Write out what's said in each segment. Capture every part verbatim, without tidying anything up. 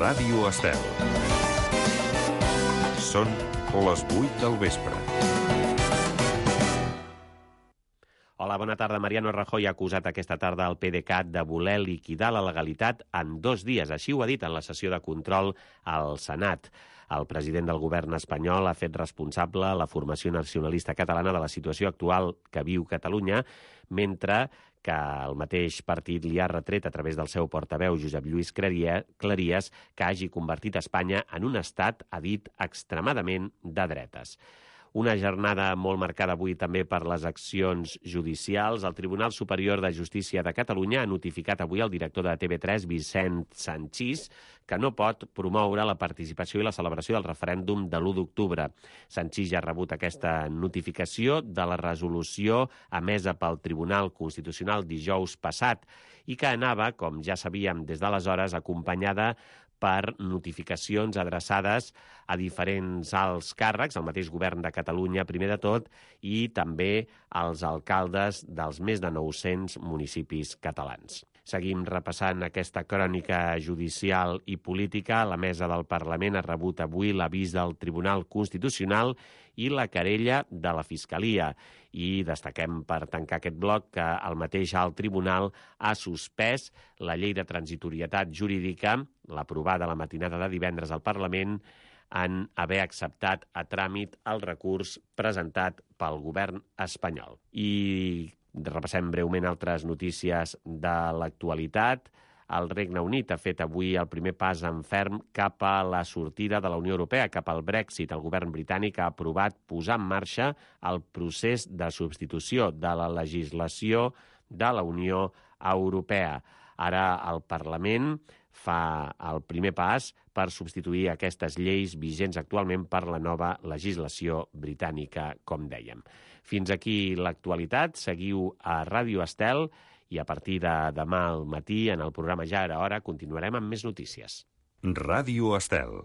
Ràdio Estel. Són les vuit del vespre. Hola, bona tarda. Mariano Rajoy ha acusat aquesta tarda el PDeCAT de voler liquidar la legalitat en dos dies. Així ho ha dit en la sessió de control al Senat. El president del govern espanyol ha fet responsable la formació nacionalista catalana de la situació actual que viu Catalunya, mentre que el mateix partit li ha retret a través del seu portaveu, Josep Lluís Cleries, que hagi convertit Espanya en un estat, ha dit, extremadament de dretes. Una jornada molt marcada avui també per les accions judicials. El Tribunal Superior de Justícia de Catalunya ha notificat avui al director de T V tres, Vicent Sanchis, que no pot promoure la participació i la celebració del referèndum de l'u d'octubre. Sanchis ja ha rebut aquesta notificació de la resolució emesa pel Tribunal Constitucional dijous passat i que anava, com ja sabíem des d'aleshores, acompanyada per notificacions adreçades a diferents alts càrrecs, al mateix govern de Catalunya, primer de tot, i també als alcaldes dels més de nou-cents municipis catalans. Seguim repassant aquesta crònica judicial i política. La mesa del Parlament ha rebut avui l'avís del Tribunal Constitucional i la querella de la Fiscalia. I destaquem, per tancar aquest bloc, que el mateix alt tribunal ha suspès la llei de transitorietat jurídica, l'aprovada la matinada de divendres al Parlament, en haver acceptat a tràmit el recurs presentat pel govern espanyol. I repassem breument altres notícies de l'actualitat. El Regne Unit ha fet avui el primer pas en ferm cap a la sortida de la Unió Europea, cap al Brexit. El govern britànic ha aprovat posar en marxa el procés de substitució de la legislació de la Unió Europea. Ara el Parlament fa el primer pas per substituir aquestes lleis vigents actualment per la nova legislació britànica, com dèiem. Fins aquí l'actualitat. Seguiu a Ràdio Estel i a partir de demà al matí, en el programa Ja era hora, continuarem amb més notícies. Ràdio Estel.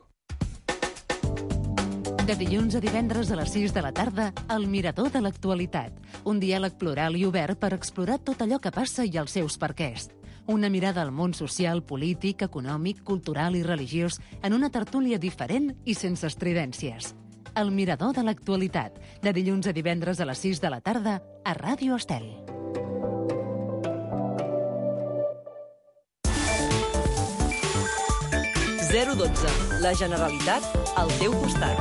De dilluns a divendres a les sis de la tarda, El Mirador de l'Actualitat. Un diàleg plural i obert per explorar tot allò que passa i els seus perquès. Una mirada al món social, polític, econòmic, cultural i religiós en una tertúlia diferent i sense estridències. El Mirador de l'Actualitat. De dilluns a divendres a les sis de la tarda a Ràdio Estel. zero dotze. La Generalitat al teu costat.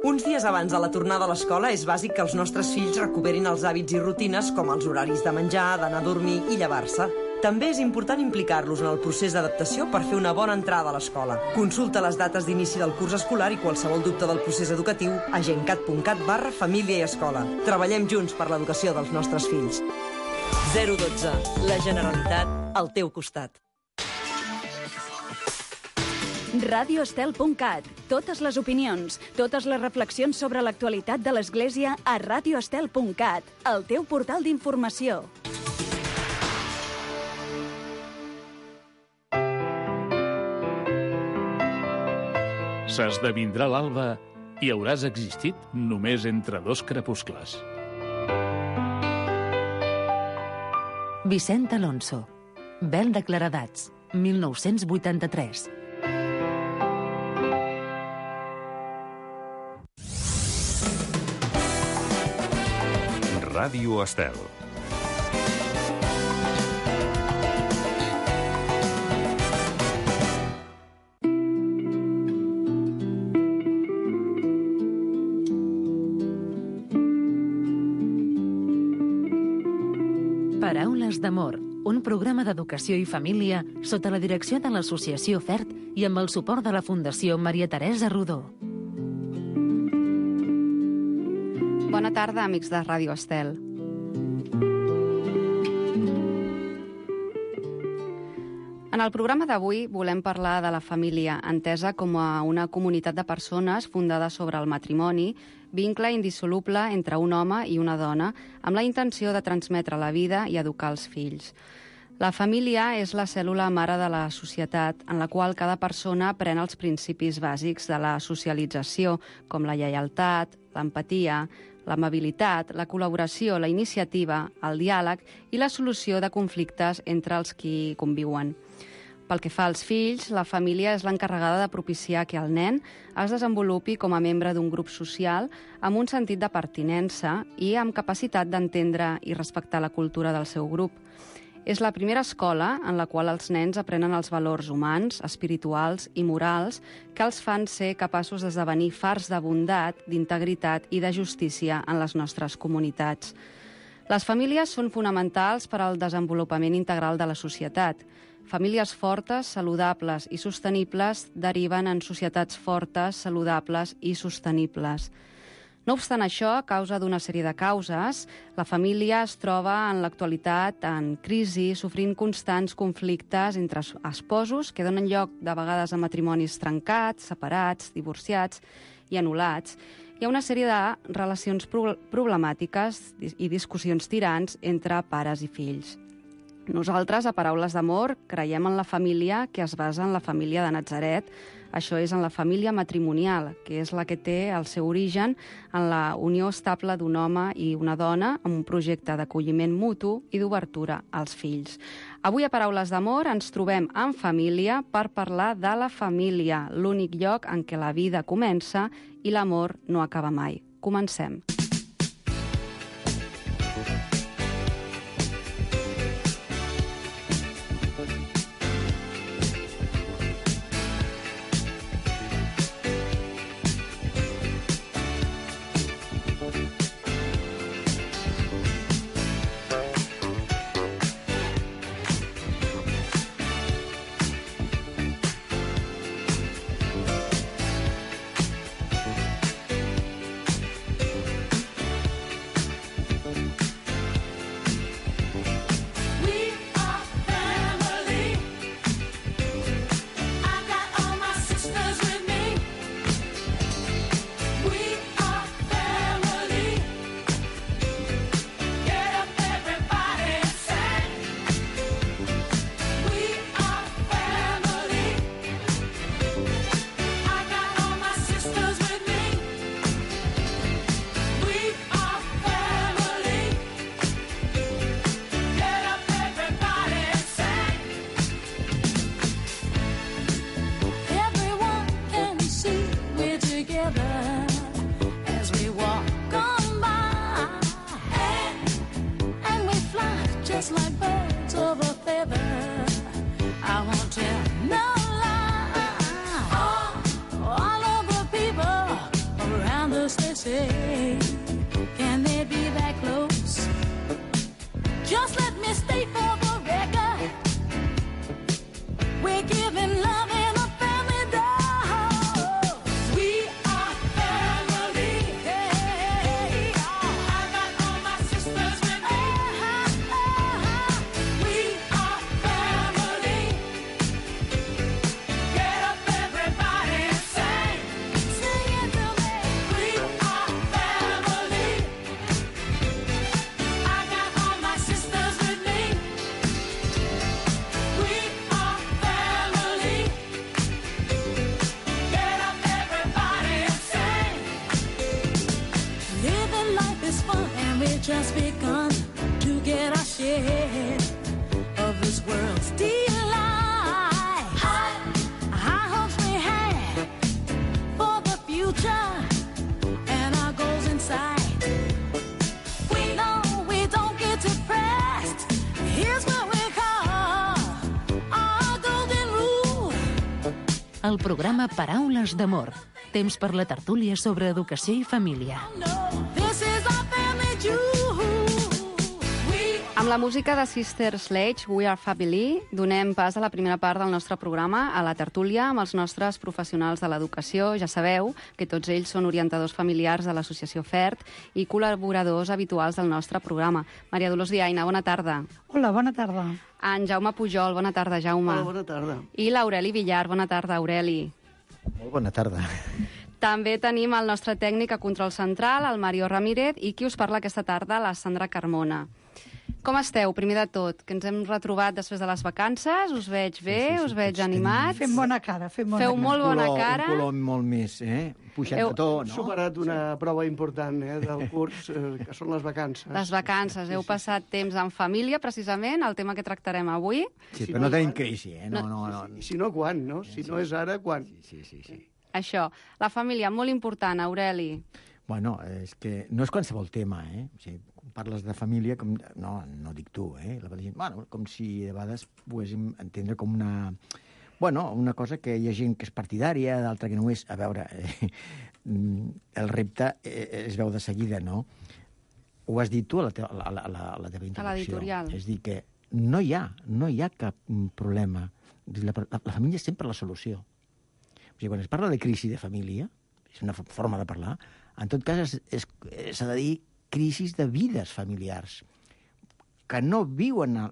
Uns dies abans de la tornada a l'escola és bàsic que els nostres fills recuperin els hàbits i rutines com els horaris de menjar, d'anar a dormir i llevar-se. També és important implicar-los en el procés d'adaptació per fer una bona entrada a l'escola. Consulta les dates d'inici del curs escolar i qualsevol dubte del procés educatiu a gencat punt cat barra família i escola. Treballem junts per l'educació dels nostres fills. zero dotze. La Generalitat al teu costat. radio estel punt cat. Totes les opinions, totes les reflexions sobre l'actualitat de l'Església a radio estel punt cat, el teu portal d'informació. S'esdevindrà l'alba i hauràs existit només entre dos crepuscles. Vicent Alonso. Vel de claredats, mil nou-cents vuitanta-tres. Ràdio Estel. Paraules d'amor, un programa d'educació i família sota la direcció de l'Associació FERT i amb el suport de la Fundació Maria Teresa Rodó. Bona tarda, amics de Ràdio Estel. En el programa d'avui volem parlar de la família, entesa com a una comunitat de persones fundada sobre el matrimoni, vincle indissoluble entre un home i una dona, amb la intenció de transmetre la vida i educar els fills. La família és la cèl·lula mare de la societat en la qual cada persona pren els principis bàsics de la socialització, com la lleialtat, l'empatia, l'amabilitat, la col·laboració, la iniciativa, el diàleg i la solució de conflictes entre els qui conviuen. Pel que fa als fills, la família és l'encarregada de propiciar que el nen es desenvolupi com a membre d'un grup social amb un sentit de pertinença i amb capacitat d'entendre i respectar la cultura del seu grup. És la primera escola en la qual els nens aprenen els valors humans, espirituals i morals que els fan ser capaços d'esdevenir fars de bondat, d'integritat i de justícia en les nostres comunitats. Les famílies són fonamentals per al desenvolupament integral de la societat. Famílies fortes, saludables i sostenibles deriven en societats fortes, saludables i sostenibles. No obstant això, a causa d'una sèrie de causes, la família es troba en l'actualitat en crisi, sofrint constants conflictes entre esposos que donen lloc de vegades a matrimonis trencats, separats, divorciats i anul·lats. Hi ha una sèrie de relacions pro- problemàtiques i discussions tirants entre pares i fills. Nosaltres, a Paraules d'Amor, creiem en la família que es basa en la família de Natzaret. Això és en la família matrimonial, que és la que té el seu origen en la unió estable d'un home i una dona amb un projecte d'acolliment mutu i d'obertura als fills. Avui a Paraules d'Amor ens trobem en família per parlar de la família, l'únic lloc en què la vida comença i l'amor no acaba mai. Comencem. Just begun to get our share of this world's delight. High, high hopes we had for the future and our goals in sight. We know we don't get depressed. Here's what we call our golden rule. El programa Paraules d'Amor. Temps per la tertúlia sobre educació i família. This is our family jewel. Amb la música de Sister Sledge, We Are Family, donem pas a la primera part del nostre programa, a la tertúlia amb els nostres professionals de l'educació. Ja sabeu que tots ells són orientadors familiars de l'associació FERT i col·laboradors habituals del nostre programa. Maria Dolors Diaina, bona tarda. Hola, bona tarda. En Jaume Pujol, bona tarda, Jaume. Hola, bona tarda. I l'Aureli Villar, bona tarda, Aureli. Molt bona tarda. També tenim el nostre tècnic a control central, el Mario Ramírez, i qui us parla aquesta tarda, la Sandra Carmona. Com esteu, primer de tot? Que ens hem retrobat després de les vacances, us veig bé, sí, sí, sí, us veig animats. Fem bona cara, fem bona Feu cara. molt bona color, cara. Un color molt més, eh? Puixat Heu de to, Hem no? superat una sí. prova important eh, del curs, eh, que són les vacances. Les vacances. Heu passat temps en família, precisament, el tema que tractarem avui. Sí, però no tenim crisi, eh? No, no, no. I si no, quan, no? Si no és ara, quan? Sí, sí, sí. Això, la família, molt important, Aureli. Bueno, és que no és qualsevol tema, eh? O sigui, quan parles de família, com... no, no dic tu, eh? La gent, bueno, com si de vegades poguéssim entendre com una... Bueno, una cosa que hi ha gent que és partidària, d'altra que no és. A veure, eh, el repte eh, es veu de seguida, no? Ho has dit tu a la teva, a la, a la, a la teva introducció. A l'editorial. És dir, que no hi ha, no hi ha cap problema. La, la, la família és sempre la solució. O sigui, quan es parla de crisi de família, és una forma de parlar, en tot cas s'ha de dir crisis de vides familiars, que no viuen el,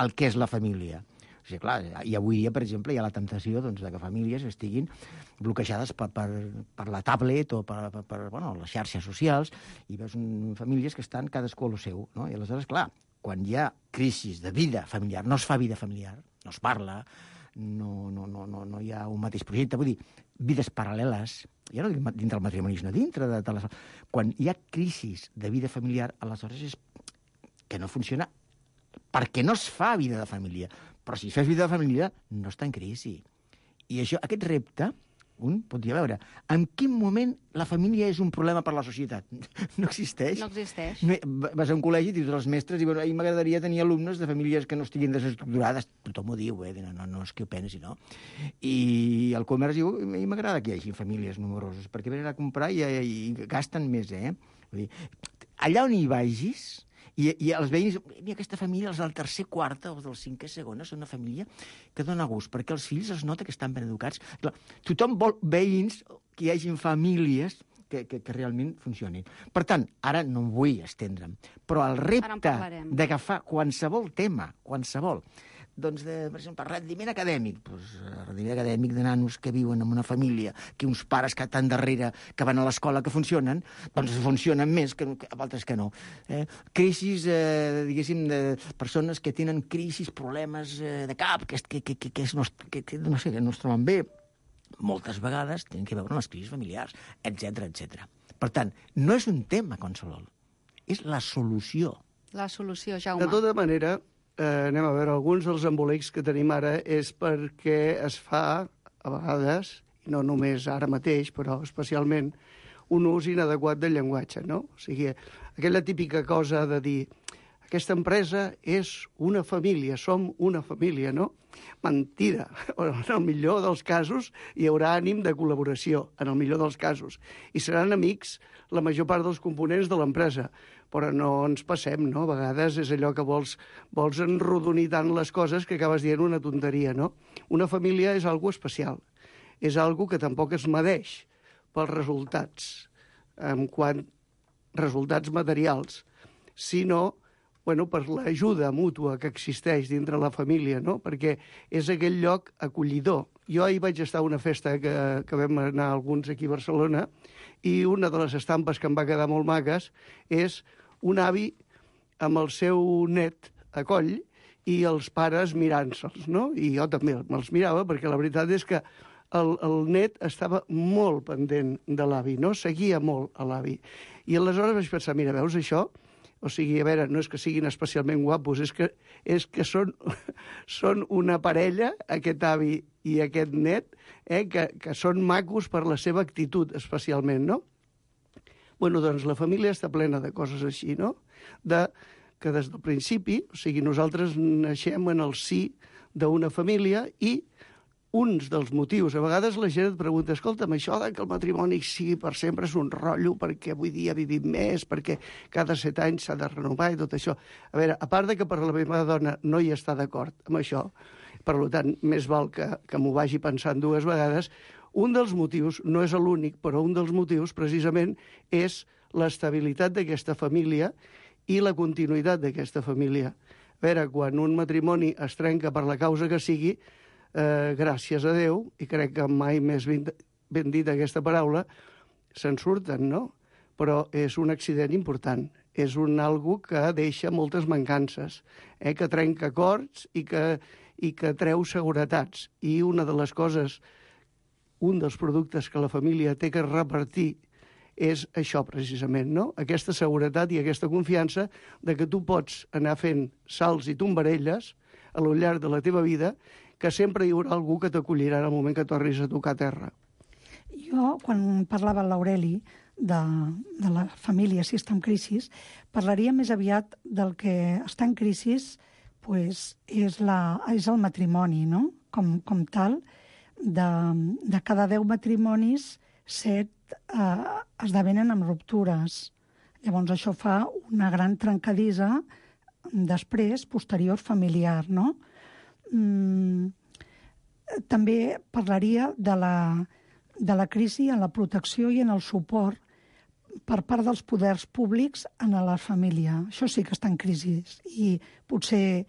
el que és la família. O sigui, clar, i avui dia, per exemple, hi ha la temptació doncs, de que famílies estiguin bloquejades per, per, per la tablet o per, per, per bueno, les xarxes socials, i veus un, famílies que estan cadascú a lo seu. No? I aleshores, clar, quan hi ha crisis de vida familiar, no es fa vida familiar, no es parla, no, no, no, no, no hi ha un mateix projecte, vull dir, vides paral·leles, ja no dic dintre del matrimoni, sinó dintre de, de les... Quan hi ha crisis de vida familiar, aleshores és que no funciona perquè no es fa vida de família. Però si fes vida de família, no està en crisi. I això, aquest repte, un pot dir, a veure, en quin moment la família és un problema per la societat? No existeix. No existeix. Vas a un col·legi i dius als mestres, i bueno, a mi m'agradaria tenir alumnes de famílies que no estiguin desestructurades. Tothom ho diu, eh? No, no, no és que ho pensi, no? I el comerç diu, a mi m'agrada que hi hagi famílies numeroses, perquè venen a comprar i, i gasten més, eh? Vull dir, allà on hi vagis, I, i els veïns, mira, aquesta família, els del tercer quarta o del cinquè segona, són una família que dona gust, perquè els fills es nota que estan ben educats. Clar, tothom vol veïns, que hi hagin famílies que, que, que realment funcionin. Per tant, ara no em vull estendre'm, però el repte d'agafar qualsevol tema, qualsevol, doncs, de, per exemple, rendiment acadèmic, doncs, rendiment acadèmic de nanos que viuen en una família, que uns pares que estan darrere, que van a l'escola, que funcionen, doncs funcionen més que, que altres que no. Eh? Crisis, eh, diguéssim, de persones que tenen crisis, problemes eh, de cap, que, que, que, que, que, no, que, que no sé, que no es troben bé, moltes vegades tenen que veure amb les crisis familiars, etcètera, etcètera. Per tant, no és un tema qualsevol, és la solució. La solució, Jaume. De tota manera, eh, anem a veure, alguns dels embolics que tenim ara és perquè es fa, a vegades, i no només ara mateix, però especialment, un ús inadequat del llenguatge, no? O sigui, aquella típica cosa de dir aquesta empresa és una família, som una família, no? Mentida. En el millor dels casos hi haurà ànim de col·laboració, en el millor dels casos. I seran amics la major part dels components de l'empresa. Però no ens passem, no? A vegades és allò que vols, vols enrodonir tant les coses que acabes dient una tonteria, no? Una família és algo especial. És algo que tampoc es medeix pels resultats, en quant resultats materials, sinó bueno, per l'ajuda mútua que existeix dintre la família, no? Perquè és aquell lloc acollidor. Jo ahir vaig estar a una festa que, que vam anar alguns aquí a Barcelona i una de les estampes que em va quedar molt maques és un avi amb el seu net a coll i els pares mirant-se'ls, no? I jo també me'ls mirava perquè la veritat és que el, el net estava molt pendent de l'avi, no? Seguia molt a l'avi. I aleshores vaig pensar, mira, veus això? O sigui, a veure, no és que siguin especialment guapos, és que, és que són, són una parella, aquest avi i aquest net, eh, que, que són macos per la seva actitud, especialment, no? Bueno, doncs la família està plena de coses així, no? De, que des del principi, o sigui, nosaltres naixem en el si d'una família i uns dels motius, a vegades la gent et pregunta, escolta'm, això que el matrimoni sigui per sempre és un rotllo perquè avui dia vivim més, perquè cada set anys s'ha de renovar i tot això. A veure, a part de que per la meva dona no hi està d'acord amb això, per tant, més val que, que m'ho vagi pensant dues vegades, un dels motius, no és l'únic, però un dels motius precisament és l'estabilitat d'aquesta família i la continuïtat d'aquesta família. A veure, quan un matrimoni es trenca per la causa que sigui, Eh, gràcies a Déu, i crec que mai més ben, ben dit aquesta paraula, se'n surten, no? Però és un accident important. és un algo que deixa moltes mancances, eh? que trenca acords i que, i que treu seguretats. I una de les coses, un dels productes que la família té que repartir és això precisament, no? Aquesta seguretat i aquesta confiança de que tu pots anar fent salts i tombarelles a lo llarg de la teva vida, que sempre hi haurà algú que t'acollirà en el moment que tornis a tocar terra. Jo, quan parlava l'Aureli de, de la família, si està en crisi, parlaria més aviat del que està en crisi pues, és, la, és el matrimoni, no? Com, com tal, de, de cada deu matrimonis, set eh, esdevenen amb ruptures. Llavors això fa una gran trencadissa després, posterior, familiar, no? Mm, també parlaria de la, de la crisi en la protecció i en el suport per part dels poders públics en la família. Això sí que està en crisi i potser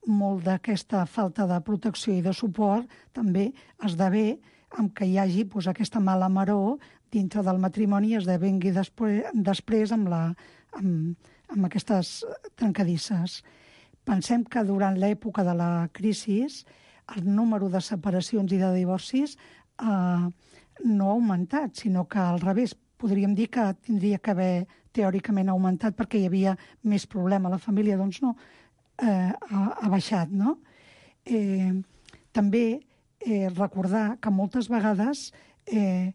molt d'aquesta falta de protecció i de suport també esdevé amb que hi hagi pues, aquesta mala maror dintre del matrimoni i esdevengui després, després amb, la, amb, amb aquestes trencadisses. Pensem que durant l'època de la crisi el número de separacions i de divorcis eh, no ha augmentat, sinó que al revés, podríem dir que tindria que haver teòricament augmentat perquè hi havia més problema a la família, doncs no, eh, ha, ha baixat, no? Eh, també eh, recordar que moltes vegades eh,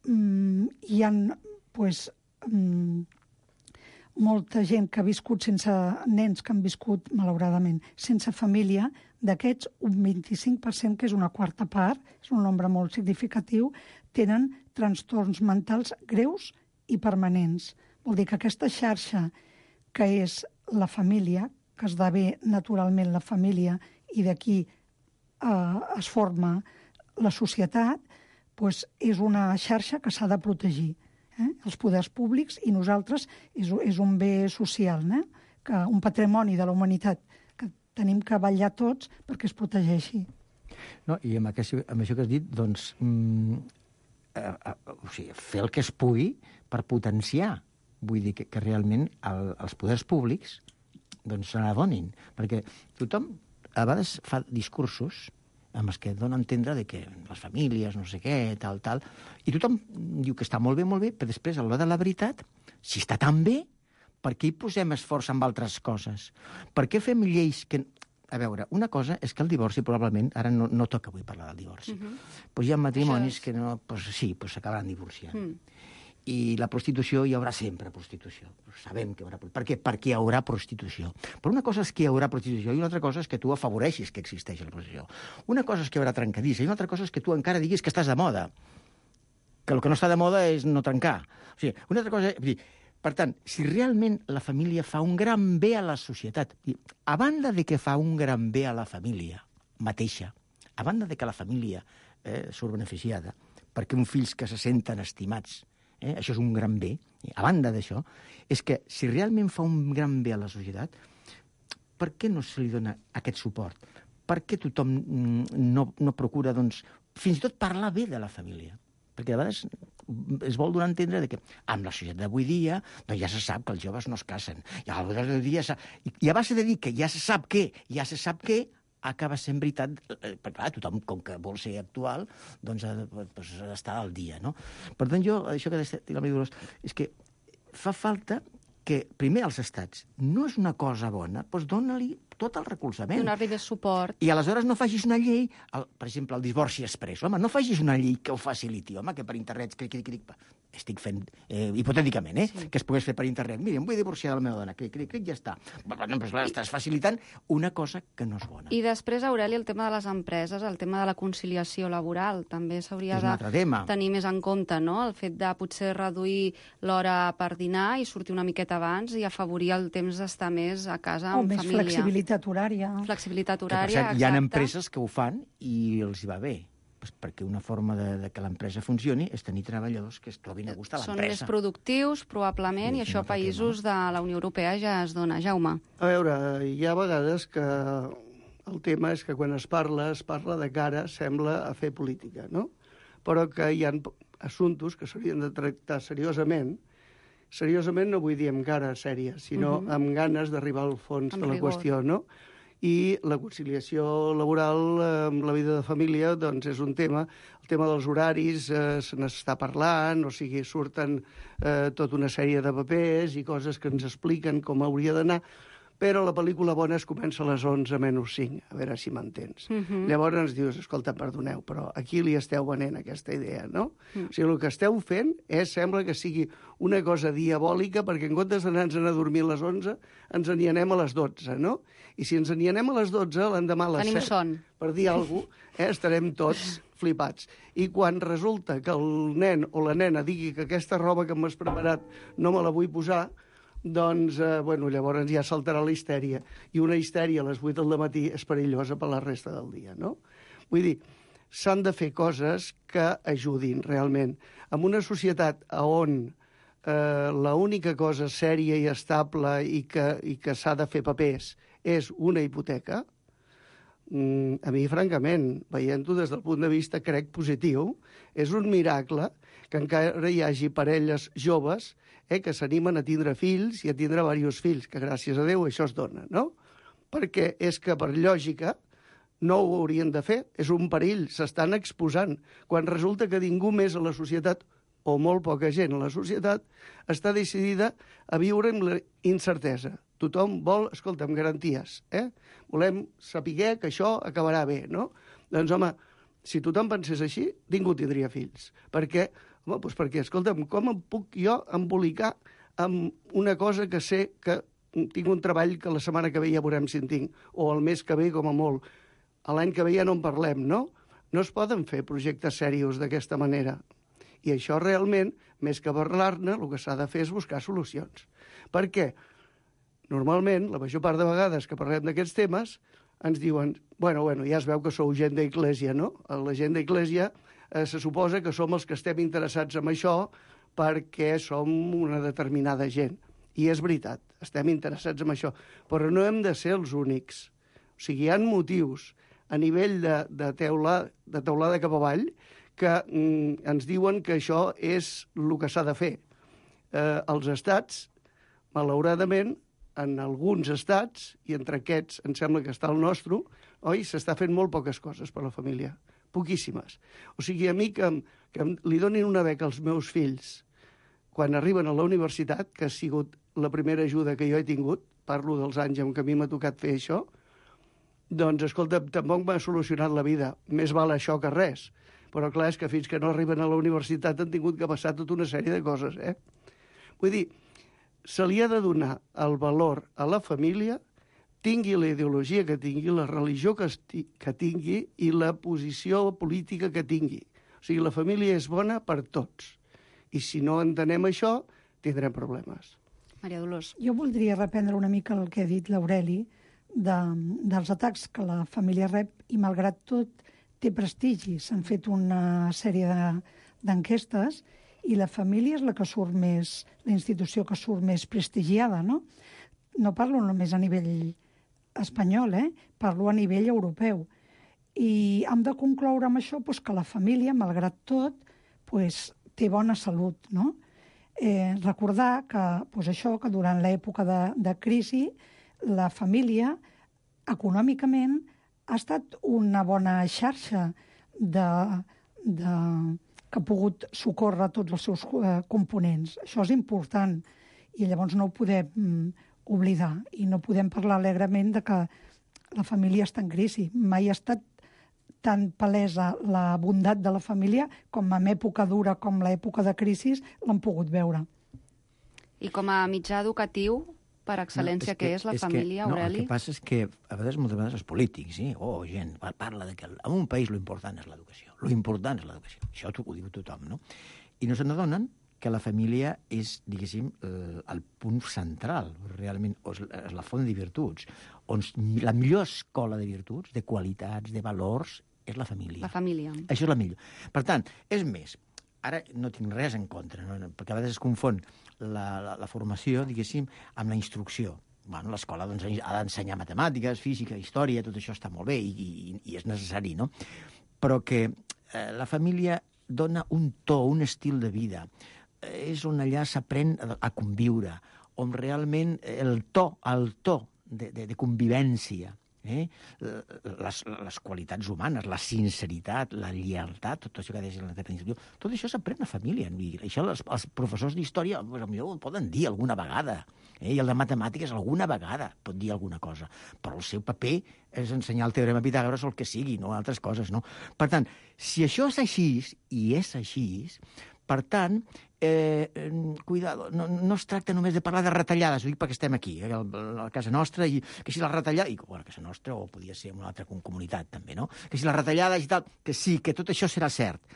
mm, hi ha pues, mm, molta gent que ha viscut sense nens que han viscut, malauradament, sense família. D'aquests, un vint-i-cinc per cent, que és una quarta part, és un nombre molt significatiu, tenen trastorns mentals greus i permanents. Vol dir que aquesta xarxa, que és la família, que esdevé naturalment la família i d'aquí eh, es forma la societat, pues és una xarxa que s'ha de protegir. Eh? Els poders públics i nosaltres és, és un bé social, eh? que un patrimoni de la humanitat que tenim que vetllar tots perquè es protegeixi. No, i amb, aquest, amb això que has dit, doncs, mm, eh, eh, o sigui, fer el que es pugui per potenciar. Vull dir que, que realment el, els poders públics doncs, se n'adonin. Perquè tothom a vegades fa discursos amb els que dona a entendre de que les famílies, no sé què, tal, tal, i tothom diu que està molt bé, molt bé, però després, a l'hora de la veritat, si està tan bé, per què hi posem esforç amb altres coses? Per què fem lleis que... A veure, una cosa és que el divorci probablement, ara no, no toca avui parlar del divorci, uh-huh. pues hi ha matrimonis és... que no, pues sí, pues s'acabaran divorciant. Mm. I la prostitució, hi haurà sempre prostitució. Sabem que hi haurà... Per què? Perquè hi haurà prostitució. Però una cosa és que hi haurà prostitució i una altra cosa és que tu afavoreixis que existeix la prostitució. Una cosa és que hi haurà trencadissa i una altra cosa és que tu encara diguis que estàs de moda. Que el que no està de moda és no trencar. O sigui, una altra cosa... És... Per tant, si realment la família fa un gran bé a la societat, a banda de que fa un gran bé a la família mateixa, a banda de que la família eh, surt beneficiada, perquè uns fills que se senten estimats, Eh? això és un gran bé. A banda d'això, és que si realment fa un gran bé a la societat, per què no se li dona aquest suport? Per què tothom no, no procura, doncs, fins i tot parlar bé de la família? Perquè a vegades es vol donar a entendre que amb la societat d'avui dia doncs ja se sap que els joves no es casen. I a vegades dia I a base de dir que ja se sap què, ja se sap què, acaba sent veritat, perquè clar, tothom, com que vol ser actual, doncs ha d'estar al dia, no? Per tant, jo, això que ha dit la Maria Dolors, és que fa falta que, primer, els estats, no és una cosa bona, doncs dona-li tot el recolzament. Donar-li de suport. I aleshores no facis una llei, el, per exemple, el divorci express. Home, no facis una llei que ho faciliti, home, que per internet... Cric, cric, cric, estic fent, eh, hipotèticament, eh, sí. que es pogués fer per internet. Mira, em vull divorciar de la meva dona. Cric, cric, cric, ja està. Però, no, però estàs facilitant una cosa que no és bona. I després, Aureli, el tema de les empreses, el tema de la conciliació laboral, també s'hauria de tenir més en compte, no? El fet de potser reduir l'hora per dinar i sortir una miqueta abans i afavorir el temps d'estar més a casa amb família. O més flexibilitat horària. Flexibilitat que, horària, per cert, exacte. Hi ha empreses que ho fan i els hi va bé. Pues perquè una forma de, de que l'empresa funcioni és tenir treballadors que es trobin a gust a l'empresa. Són més productius, probablement, sí, i això a països tema. de la Unió Europea ja es dona. Jaume. A veure, hi ha vegades que el tema és que quan es parla, es parla de cara, sembla, a fer política, no? Però que hi ha assumptes que s'haurien de tractar seriosament seriosament no vull dir amb cara sèria, sinó uh-huh. amb ganes d'arribar al fons amb de la rigor. Qüestió, no? I la conciliació laboral amb la vida de família doncs és un tema. El tema dels horaris eh, se n'està parlant, o sigui, surten eh, tota una sèrie de papers i coses que ens expliquen com hauria d'anar, però la pel·lícula bona es comença a les onze menys cinc, a veure si m'entens. Uh-huh. Llavors ens dius, escolta, perdoneu, però aquí li esteu venent aquesta idea, no? Uh-huh. O sigui, el que esteu fent és, sembla que sigui una cosa diabòlica, perquè en comptes d'anar-nos a dormir a les onze, ens n'hi anem a les dotze, no? I si ens n'hi anem a les dotze, l'endemà a les Tenim set, son. per dir alguna cosa, eh, estarem tots flipats. I quan resulta que el nen o la nena digui que aquesta roba que m'has preparat no me la vull posar, doncs, eh, bueno, llavors ja saltarà la histèria. I una histèria a les vuit del matí és perillosa per la resta del dia, no? Vull dir, s'han de fer coses que ajudin realment. En una societat on eh, l'única cosa sèria i estable i que, i que s'ha de fer papers és una hipoteca, mm, a mi, francament, veient-ho des del punt de vista, crec, positiu, és un miracle que encara hi hagi parelles joves eh, que s'animen a tindre fills i a tindre diversos fills, que gràcies a Déu això es dona, no? Perquè és que, per lògica, no ho haurien de fer, és un perill, s'estan exposant, quan resulta que ningú més a la societat, o molt poca gent a la societat, està decidida a viure amb la incertesa. Tothom vol, escolta, amb garanties, eh? Volem saber que això acabarà bé, no? Doncs, home, si tothom pensés així, ningú tindria fills. Per què? Home, doncs perquè, escolta'm, com em puc jo embolicar amb una cosa que sé que tinc un treball que la setmana que ve ja veurem si en tinc, o el mes que ve, com a molt. A l'any que ve ja no en parlem, no? No es poden fer projectes serios d'aquesta manera. I això realment, més que parlar-ne, el que s'ha de fer és buscar solucions. Per què? Normalment, la major part de vegades que parlem d'aquests temes, ens diuen, bueno, bueno, ja es veu que sou gent d'Eglésia, no? La gent d'Eglésia eh, se suposa que som els que estem interessats en això perquè som una determinada gent. I és veritat, estem interessats en això, però no hem de ser els únics. O sigui, hi ha motius a nivell de, de, teula, de teulada cap avall que mm, ens diuen que això és el que s'ha de fer. Eh, els estats, malauradament, en alguns estats, i entre aquests em sembla que està el nostre, oi, s'està fent molt poques coses per a la família, poquíssimes. O sigui, a mi que, que li donin una beca als meus fills quan arriben a la universitat, que ha sigut la primera ajuda que jo he tingut, parlo dels anys en què a mi m'ha tocat fer això, doncs, escolta, tampoc m'ha solucionat la vida. Més val això que res. Però clar, és que fins que no arriben a la universitat han tingut que passar tota una sèrie de coses, eh? Vull dir, se li ha de donar el valor a la família, tingui la ideologia que tingui, la religió que, esti, que tingui i la posició política que tingui. O sigui, la família és bona per tots. I si no entenem això, tindrem problemes. Maria Dolors. Jo voldria reprendre una mica el que ha dit l'Aureli de, dels atacs que la família rep i, malgrat tot, té prestigi. S'han fet una sèrie d'enquestes i la família és la que surt més, la institució que surt més prestigiada, no? No parlo només a nivell espanyol, eh? Parlo a nivell europeu. I hem de concloure amb això doncs, que la família, malgrat tot, doncs, té bona salut, no? Eh, recordar que, doncs això, que durant l'època de, de crisi la família, econòmicament, ha estat una bona xarxa de, de, que ha pogut socórrer tots els seus eh, components. Això és important i llavors no ho podem mm, oblidar i no podem parlar alegrement de que la família està en crisi. Mai ha estat tan palesa la bondat de la família com en època dura com l'època de crisi l'han pogut veure. I com a mitjà educatiu, per excel·lència, no, és que, què és la és família, que, no, Aureli? El que passa és que a vegades, moltes vegades, els polítics, sí? o oh, gent, parla de que en un país l'important és l'educació. L'important és l'educació. Això ho diu tothom, no? I no se n'adonen que la família és, diguéssim, eh, el punt central, realment, és la font de virtuts, on la millor escola de virtuts, de qualitats, de valors, és la família. La família. Això és la millor. Per tant, és més, ara no tinc res en contra, no? Perquè a vegades es confon la, la, la formació, diguéssim, amb la instrucció. Bueno, l'escola doncs, ha d'ensenyar matemàtiques, física, història, tot això està molt bé i, i, i és necessari, no? Però que eh, la família dona un to, un estil de vida, és on allà s'aprèn a conviure, on realment el to, el to de, de, de convivència, eh? les, les qualitats humanes, la sinceritat, la lleialtat, tot això que deies en la definició, tot això s'aprèn a família. I això els, els professors d'història pues, potser ho poden dir alguna vegada, eh? I el de matemàtiques alguna vegada pot dir alguna cosa, però el seu paper és ensenyar el teorema Pitàgores o el que sigui, no altres coses, no? Per tant, si això és així, i és així, per tant, eh, cuidado, no, no es tracta només de parlar de retallades, ho dic perquè estem aquí, eh, a la casa nostra, i que si la retallada, i bueno, a casa nostra, o podia ser en una altra comunitat també, no? Que si la retallada i tal, que sí, que tot això serà cert,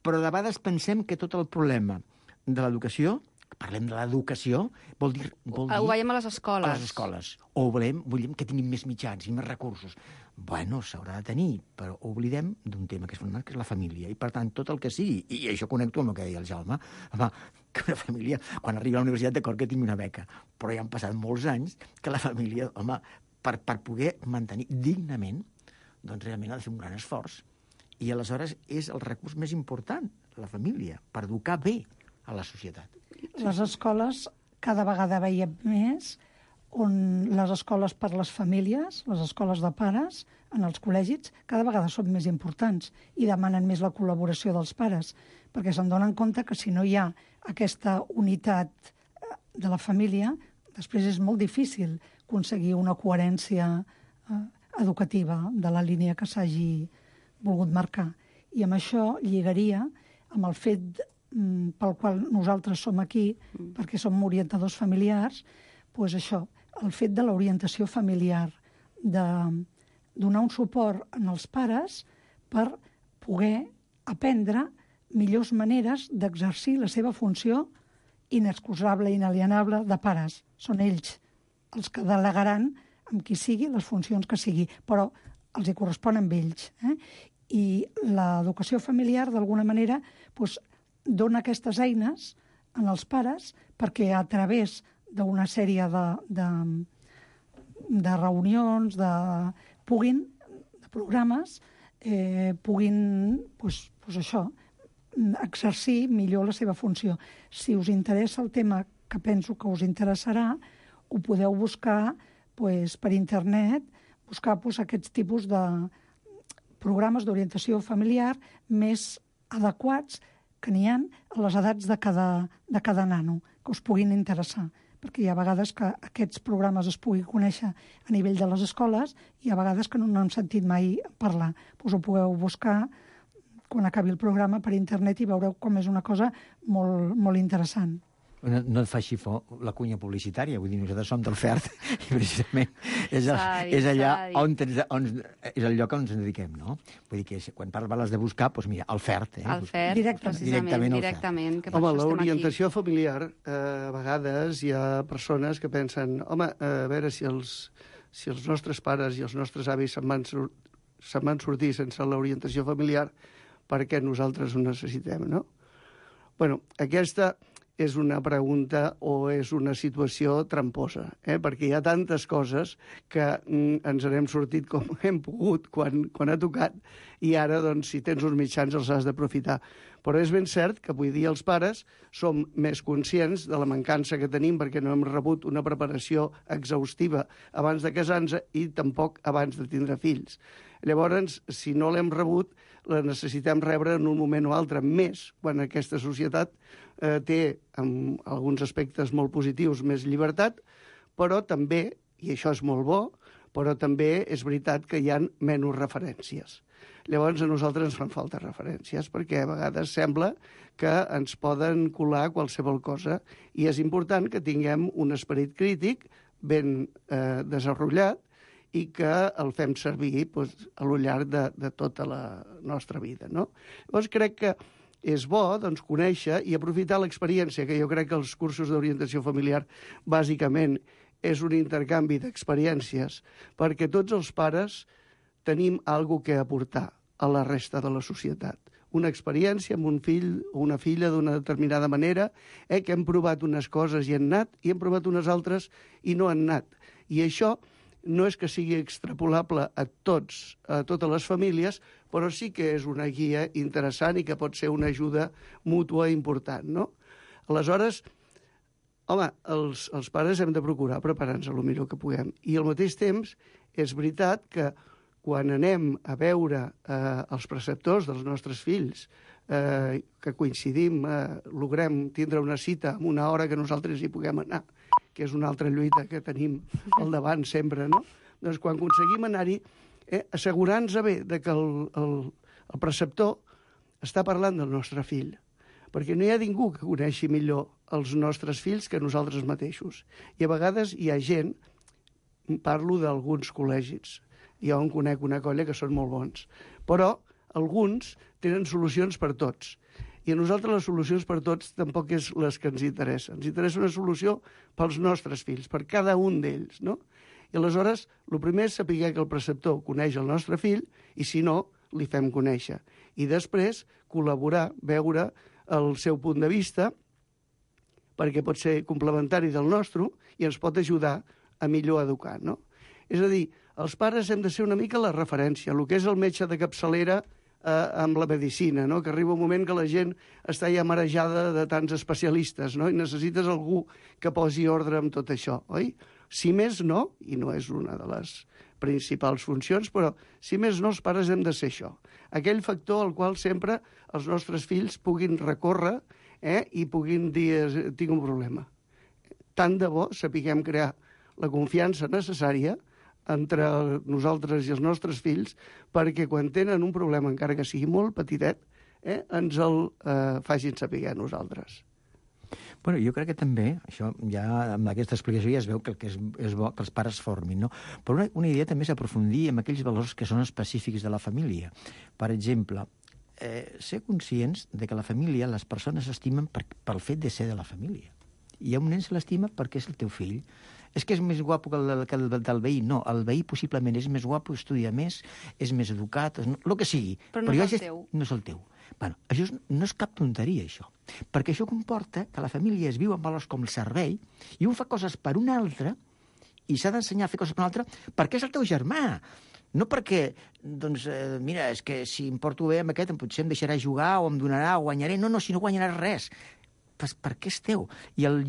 però de vegades pensem que tot el problema de l'educació, parlem de l'educació, vol dir... Vol dir ho veiem a les escoles. A les escoles. O volem, volem que tinguin més mitjans i més recursos. Bueno, s'haurà de tenir, però oblidem d'un tema que és fonamental, que és la família. I, per tant, tot el que sigui, i això connecto amb el que deia el Jaume, home, que una família, quan arriba a la universitat, d'acord que tingui una beca, però ja han passat molts anys que la família, home, per, per poder mantenir dignament, doncs realment ha de fer un gran esforç. I aleshores és el recurs més important, la família, per educar bé a la societat. Les escoles cada vegada veiem més on les escoles per les famílies, les escoles de pares, en els col·legis, cada vegada són més importants i demanen més la col·laboració dels pares, perquè se'n donen compte que si no hi ha aquesta unitat de la família, després és molt difícil aconseguir una coherència eh, educativa de la línia que s'hagi volgut marcar. I amb això lligaria amb el fet pel qual nosaltres som aquí, mm. perquè som orientadors familiars, doncs això, el fet de l'orientació familiar, de donar un suport als pares per poder aprendre millors maneres d'exercir la seva funció inexcusable i inalienable de pares. Són ells els que delegaran amb qui sigui les funcions que sigui, però els hi correspon amb ells. Eh? I l'educació familiar, d'alguna manera, doncs, dona aquestes eines en els pares perquè a través d'una sèrie de, de, de reunions, de, puguin, de programes, eh, puguin, doncs, doncs això, exercir millor la seva funció. Si us interessa el tema, que penso que us interessarà, ho podeu buscar doncs, per internet, buscar doncs, aquests tipus de programes d'orientació familiar més adequats que n'hi ha a les edats de cada, de cada nano, que us puguin interessar. Perquè hi ha vegades que aquests programes es puguin conèixer a nivell de les escoles i hi ha vegades que no n'hem sentit mai parlar. Pues ho podeu buscar quan acabi el programa per internet i veureu com és una cosa molt, molt interessant. No, no et faci for la cunya publicitària, vull dir, nosaltres som del F E R T i precisament és, el, dit, és allà on, on, és el lloc on ens dediquem, no? Vull dir que quan parles de buscar, doncs mira, el F E R T. Eh? El F E R T, directament, directament. directament que home, l'orientació familiar, eh, a vegades hi ha persones que pensen, home, a veure si els, si els nostres pares i els nostres avis se'n van, sur se'n van sortir sense l'orientació familiar, perquè nosaltres ho necessitem, no? Bueno, aquesta és una pregunta o és una situació tramposa, eh? Perquè hi ha tantes coses que mm, ens n'hem sortit com hem pogut quan, quan ha tocat i ara, doncs, si tens uns mitjans els has d'aprofitar. Però és ben cert que avui dia els pares som més conscients de la mancança que tenim perquè no hem rebut una preparació exhaustiva abans de casar-nos i tampoc abans de tindre fills. Llavors, si no l'hem rebut, la necessitem rebre en un moment o altre, més quan aquesta societat eh, té, en alguns aspectes molt positius, més llibertat, però també, i això és molt bo, però també és veritat que hi ha menys referències. Llavors, a nosaltres ens fan falta referències, perquè a vegades sembla que ens poden colar qualsevol cosa, i és important que tinguem un esperit crític ben eh, desenvolupat, i que el fem servir doncs, a lo llarg de, de tota la nostra vida, no? Llavors crec que és bo doncs, conèixer i aprofitar l'experiència, que jo crec que els cursos d'orientació familiar bàsicament és un intercanvi d'experiències, perquè tots els pares tenim alguna que aportar a la resta de la societat. Una experiència amb un fill o una filla d'una determinada manera, eh, que hem provat unes coses i han anat, i hem provat unes altres i no han anat. I això no és que sigui extrapolable a tots, a totes les famílies, però sí que és una guia interessant i que pot ser una ajuda mútua important, no? Aleshores, home, els, els pares hem de procurar preparar-nos el millor que puguem. I al mateix temps, és veritat que quan anem a veure eh, els preceptors dels nostres fills, eh, que coincidim, eh, logrem tindre una cita amb una hora que nosaltres hi puguem anar, que és una altra lluita que tenim al davant sempre, no? Doncs quan aconseguim anar-hi, eh, assegurant-nos bé de que el, el, el preceptor està parlant del nostre fill, perquè no hi ha ningú que coneixi millor els nostres fills que nosaltres mateixos. I a vegades hi ha gent, parlo d'alguns col·legis, jo en conec una colla que són molt bons, però alguns tenen solucions per tots. I a nosaltres les solucions per tots tampoc és les que ens interessen. Ens interessa una solució pels nostres fills, per cada un d'ells, no? I aleshores, el primer és saber que el preceptor coneix el nostre fill i, si no, li fem conèixer. I després, col·laborar, veure el seu punt de vista, perquè pot ser complementari del nostre i ens pot ajudar a millor educar, no? És a dir, els pares hem de ser una mica la referència, el que és el metge de capçalera eh, amb la medicina, no? Que arriba un moment que la gent està ja marejada de tants especialistes, no? I necessites algú que posi ordre amb tot això, oi? Si més no, i no és una de les principals funcions, però si més no, els pares hem de ser això. Aquell factor al qual sempre els nostres fills puguin recórrer eh, i puguin dir, tinc un problema. Tant de bo sapiguem crear la confiança necessària entre nosaltres i els nostres fills perquè quan tenen un problema, encara que sigui molt petitet, eh, ens el eh, facin saber a nosaltres. Bueno, jo crec que també, això ja amb aquesta explicació ja es veu que el que és, és bo que els pares formin, no? Però una, una idea també és aprofundir en aquells valors que són específics de la família. Per exemple, eh, ser conscients de que la família, les persones s'estimen per, pel fet de ser de la família. I un nen se l'estima perquè és el teu fill. És que és més guapo que el, que el del veí. No, el veí possiblement és més guapo, estudia més, és més educat, el que sigui. Però no Però és el teu. No és el teu. Bueno, això és, no és cap tonteria, això. Perquè això comporta que la família es viu amb valors com el servei i un fa coses per un altre i s'ha d'ensenyar a fer coses per un altre perquè és el teu germà. No perquè, doncs, eh, mira, és que si em porto bé amb aquest, potser em deixarà jugar o em donarà o guanyaré. No, no, si no guanyaràs res. Pues perquè és teu. I el,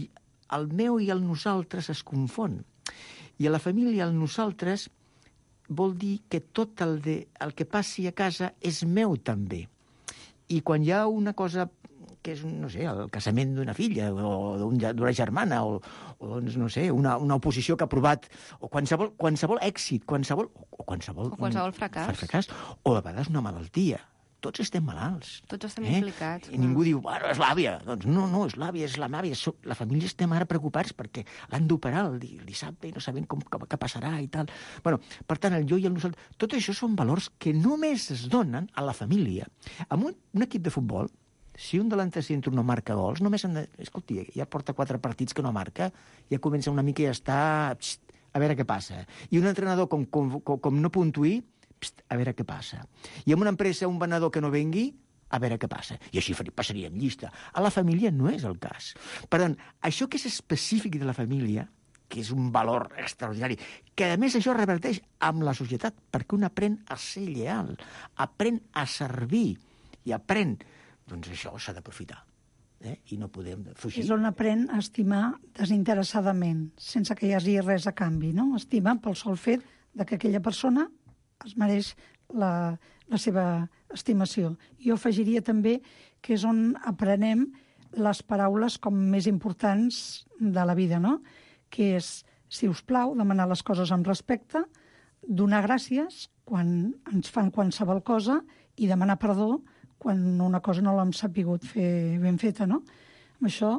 el meu i el nosaltres es confon. I a la família el nosaltres vol dir que tot el, de, el que passi a casa és meu també. I quan hi ha una cosa que és, no sé, el casament d'una filla o d'una germana o, o doncs, no sé, una, una oposició que ha aprovat o qualsevol, qualsevol èxit, qualsevol, o qualsevol, o qualsevol fracàs. fracàs, o a vegades una malaltia. Tots estem malalts. Tots estem eh? implicats. I ningú diu, bueno, és l'àvia. Doncs no, no, és l'àvia, és la màvia. La família estem ara preocupats perquè l'han d'operar el, el dissabte i no sabem com, com, què passarà i tal. Bueno, per tant, el jo i el nosaltres... Tot això són valors que només es donen a la família. Amb un, un equip de futbol, si un delanter centre no marca gols, només han de... Escolti, ja porta quatre partits que no marca, ja comença una mica i ja està... Pst, a veure què passa. I un entrenador, com, com, com, com no puntuï, a veure què passa. I en una empresa un venedor que no vengui, a veure què passa. I així passaria en llista. A la família no és el cas. Per tant, això que és específic de la família, que és un valor extraordinari, que a més això reverteix amb la societat, perquè un aprèn a ser lleal, aprèn a servir i aprèn, doncs això s'ha d'aprofitar. Eh? I no podem fugir. És on aprèn a estimar desinteressadament, sense que hi hagi res a canvi, no? Estima pel sol fet de que aquella persona es mereix la, la seva estimació. Jo afegiria també que és on aprenem les paraules com més importants de la vida, no? Que és, si us plau, demanar les coses amb respecte, donar gràcies quan ens fan qualsevol cosa i demanar perdó quan una cosa no l'hem sapigut fer ben feta, no? Amb això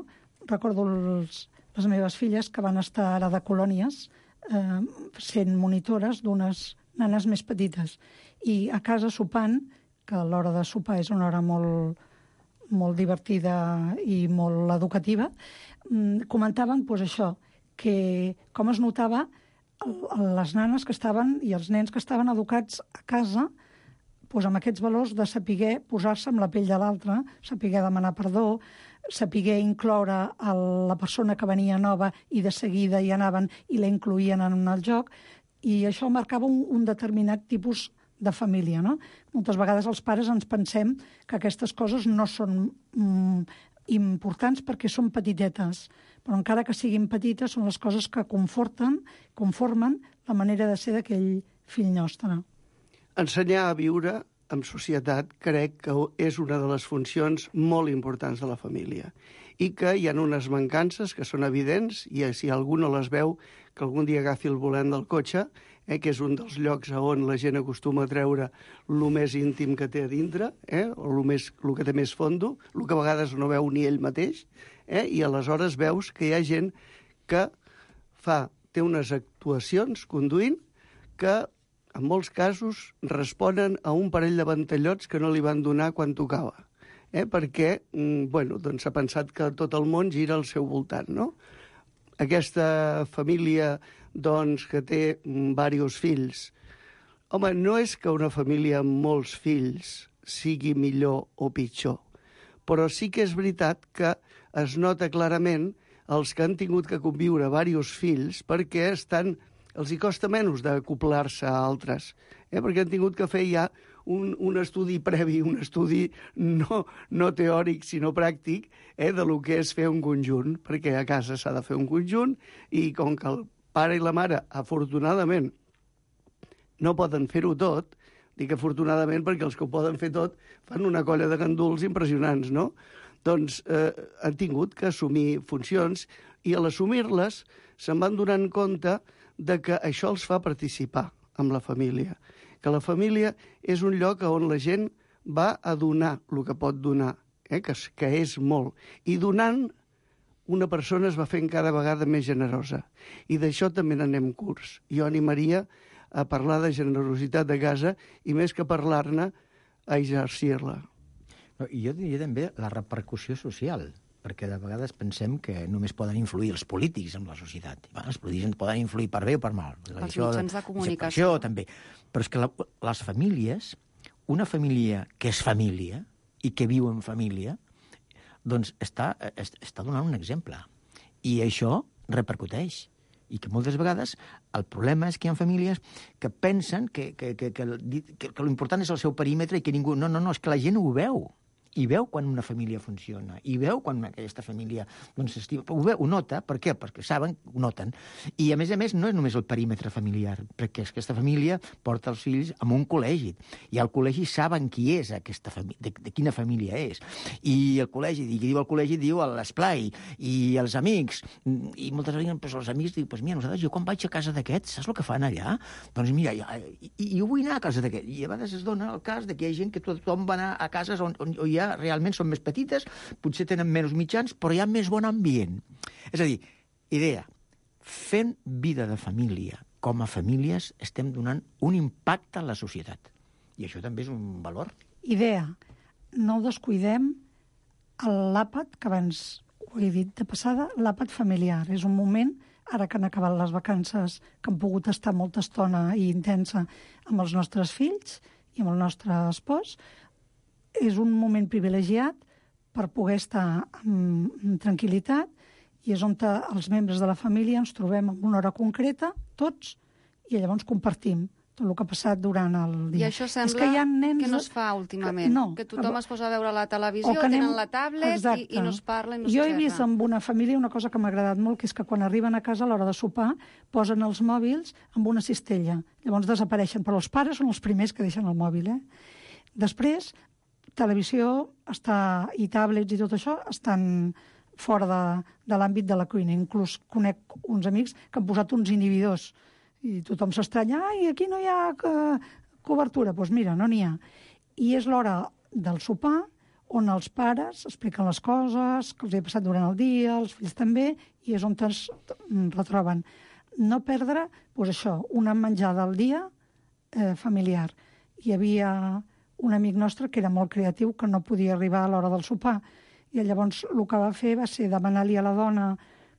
recordo els, les meves filles que van estar ara de colònies eh, sent monitores d'unes nanes més petites. I a casa sopant, que l'hora de sopar és una hora molt, molt divertida i molt educativa, comentaven doncs, això, que com es notava les nanes que estaven i els nens que estaven educats a casa doncs, amb aquests valors de saber posar-se amb la pell de l'altre, saber demanar perdó, saber incloure a la persona que venia nova i de seguida hi anaven i la incloïen en el joc, i això marcava un, un determinat tipus de família, no? Moltes vegades els pares ens pensem que aquestes coses no són mm, importants perquè són petitetes, però encara que siguin petites són les coses que conforten, conformen la manera de ser d'aquell fill nostre. Ensenyar a viure en societat crec que és una de les funcions molt importants de la família i que hi ha unes mancances que són evidents i si algú no les veu, que algun dia agafi el volant del cotxe, eh, que és un dels llocs on la gent acostuma a treure el més íntim que té a dintre, eh, o el, més, el que té més fondo, el que a vegades no veu ni ell mateix, eh, i aleshores veus que hi ha gent que fa, té unes actuacions conduint que en molts casos responen a un parell de ventallots que no li van donar quan tocava, eh? perquè bueno, doncs s'ha pensat que tot el món gira al seu voltant. No? Aquesta família doncs, que té diversos fills, home, no és que una família amb molts fills sigui millor o pitjor, però sí que és veritat que es nota clarament els que han tingut que conviure diversos fills perquè estan els hi costa menys d'acoplar-se a altres, eh? perquè han tingut que fer ja un, un estudi previ, un estudi no, no teòric, sinó pràctic, eh? de lo que és fer un conjunt, perquè a casa s'ha de fer un conjunt, i com que el pare i la mare, afortunadament, no poden fer-ho tot, dic afortunadament perquè els que ho poden fer tot fan una colla de ganduls impressionants, no? Doncs eh, han tingut que assumir funcions, i a l'assumir-les se'n van donant compte de que això els fa participar amb la família, que la família és un lloc on la gent va a donar el que pot donar, eh? que, que és molt, i donant una persona es va fent cada vegada més generosa, i d'això també n'anem curts. Jo animaria a parlar de generositat de casa i més que parlar-ne, a exercir-la. No, i jo diria també la repercussió social, perquè de vegades pensem que només poden influir els polítics en la societat. Bueno, els polítics poden influir per bé o per mal. Els mitjans de comunicació. Això també. Però és que la, les famílies, una família que és família i que viu en família, doncs està, està donant un exemple. I això repercuteix. I que moltes vegades el problema és que hi ha famílies que pensen que, que, que, que, que, que l'important és el seu perímetre i que ningú... No, no, no, és que la gent ho veu. I veu quan una família funciona, i veu quan aquesta família doncs, s'estima. Ho veu, ho nota, per què? Perquè saben, ho noten. I, a més a més, no és només el perímetre familiar, perquè aquesta família porta els fills a un col·legi, i al col·legi saben qui és aquesta família, de, de quina família és. I el col·legi, i qui diu al col·legi, diu l'esplai, i els amics, i moltes vegades pues, els amics diuen, pues, mira, nosaltres, jo quan vaig a casa d'aquests, saps el que fan allà? Doncs mira, jo, i, i jo vull anar a casa d'aquests. I a vegades es dona el cas de que hi ha gent que tothom va anar a cases on, on hi ha realment són més petites, potser tenen menys mitjans, però hi ha més bon ambient. És a dir, idea, fent vida de família com a famílies estem donant un impacte a la societat. I això també és un valor. Idea, no descuidem l'àpat, que abans ho he dit de passada, l'àpat familiar. És un moment, ara que han acabat les vacances, que han pogut estar molta estona i intensa amb els nostres fills i amb el nostre espòs, és un moment privilegiat per poder estar en, en tranquil·litat, i és on els membres de la família ens trobem en una hora concreta, tots, i llavors compartim tot el que ha passat durant el dia. I això sembla és que, hi ha nens que no es fa últimament, que, no, que tothom es posa a veure la televisió, anem, tenen la tablet i, i no es parla i no jo s'observa. he vist amb una família una cosa que m'ha agradat molt, que és que quan arriben a casa a l'hora de sopar posen els mòbils amb una cistella, llavors desapareixen, però els pares són els primers que deixen el mòbil. Eh? Després, televisió està, i tablets i tot això estan fora de, de l'àmbit de la cuina. Inclús conec uns amics que han posat uns inhibidors i tothom s'estranya, ai, aquí no hi ha uh, cobertura. Doncs pues mira, no n'hi ha. I és l'hora del sopar on els pares expliquen les coses que els ha passat durant el dia, els fills també, i és on es retroben. No perdre, doncs això, una menjada al dia eh, familiar. Hi havia un amic nostre que era molt creatiu, que no podia arribar a l'hora del sopar. I llavors el que va fer va ser demanar-li a la dona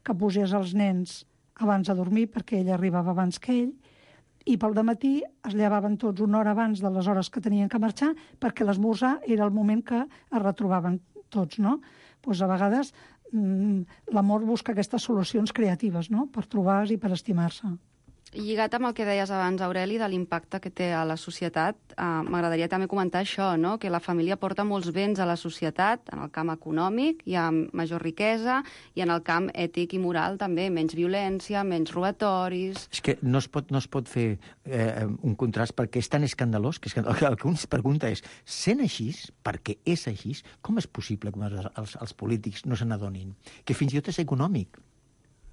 que posés els nens abans de dormir, perquè ella arribava abans que ell, i pel dematí es llevaven tots una hora abans de les hores que tenien que marxar, perquè l'esmorzar era el moment que es retrobaven tots, no? Doncs a vegades l'amor busca aquestes solucions creatives, no?, per trobar-se i per estimar-se. lligat amb el que deies abans, Aureli, de l'impacte que té a la societat, eh, m'agradaria també comentar això, no? Que la família porta molts béns a la societat, en el camp econòmic hi ha major riquesa, i en el camp ètic i moral també, menys violència, menys robatoris... És que no es pot, no es pot fer eh, un contrast perquè és tan escandalós que, és que el que un es pregunta és, sent així, perquè és així, com és possible que els, els polítics no se n'adonin? Que fins i tot és econòmic,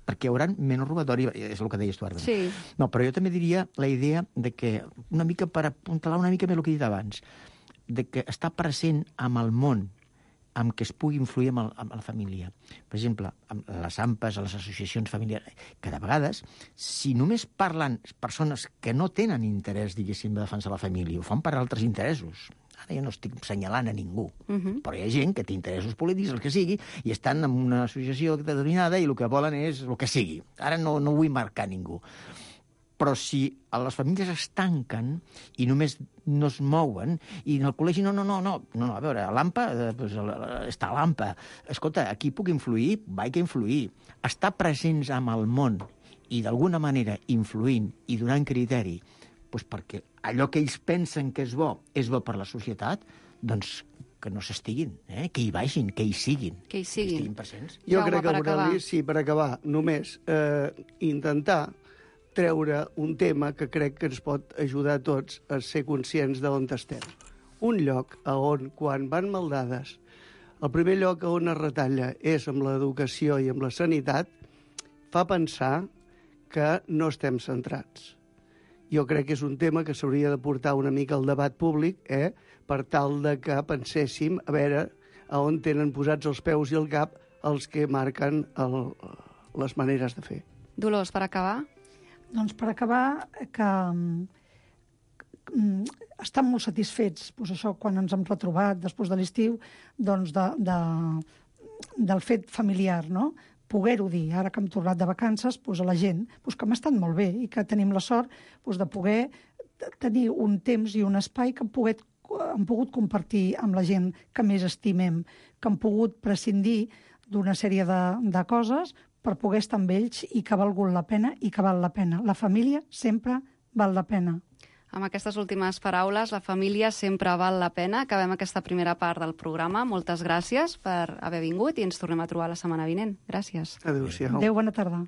perquè hi haurà menys robatori, és el que deies tu ara. Sí. No, però jo també diria la idea de que, una mica per apuntalar una mica més el que he dit abans, de que està present amb el món, amb què es pugui influir amb, el, amb la família. Per exemple, amb les A M P A s, a les associacions familiars, que de vegades, si només parlen persones que no tenen interès, diguéssim, de defensar la família, ho fan per altres interessos. Ara jo no estic assenyalant a ningú, uh-huh. però hi ha gent que té interessos polítics, el que sigui, i estan en una associació determinada i el que volen és el que sigui. Ara no, no vull marcar ningú. Però si les famílies es tanquen i només no es mouen, i en el col·legi, no, no, no, no, no, no a veure, a l'A M P A, doncs, està a l'A M P A. Escolta, aquí puc influir? Vaig que influir. Estar presents amb el món i d'alguna manera influint i donant criteri, doncs perquè allò que ells pensen que és bo és bo per la societat, doncs que no s'estiguin, eh? Que hi vagin, que hi siguin. Que hi siguin. Que estiguin presents. Jo Jaume, crec que, per acabar. Aureli, sí, per acabar, només eh, intentar treure un tema que crec que ens pot ajudar a tots a ser conscients d'on estem. Un lloc a on, quan van maldades, el primer lloc a on es retalla és amb l'educació i amb la sanitat, fa pensar que no estem centrats. Jo crec que és un tema que s'hauria de portar una mica al debat públic, eh? Per tal de que penséssim a veure a on tenen posats els peus i el cap els que marquen el, les maneres de fer. Dolors, per acabar? Doncs per acabar, que um, estan molt satisfets, doncs això, quan ens hem retrobat després de l'estiu, doncs de, de, del fet familiar, no? Poder-ho dir, ara que hem tornat de vacances, doncs a la gent, doncs que hem estat molt bé i que tenim la sort doncs de poder tenir un temps i un espai que hem pogut, hem pogut compartir amb la gent que més estimem, que hem pogut prescindir d'una sèrie de, de coses per poder estar amb ells i que ha valgut la pena i que val la pena. La família sempre val la pena. Amb aquestes últimes paraules, la família sempre val la pena. Acabem aquesta primera part del programa. Moltes gràcies per haver vingut i ens tornem a trobar la setmana vinent. Gràcies. Adéu-siau. Adéu, bona tarda.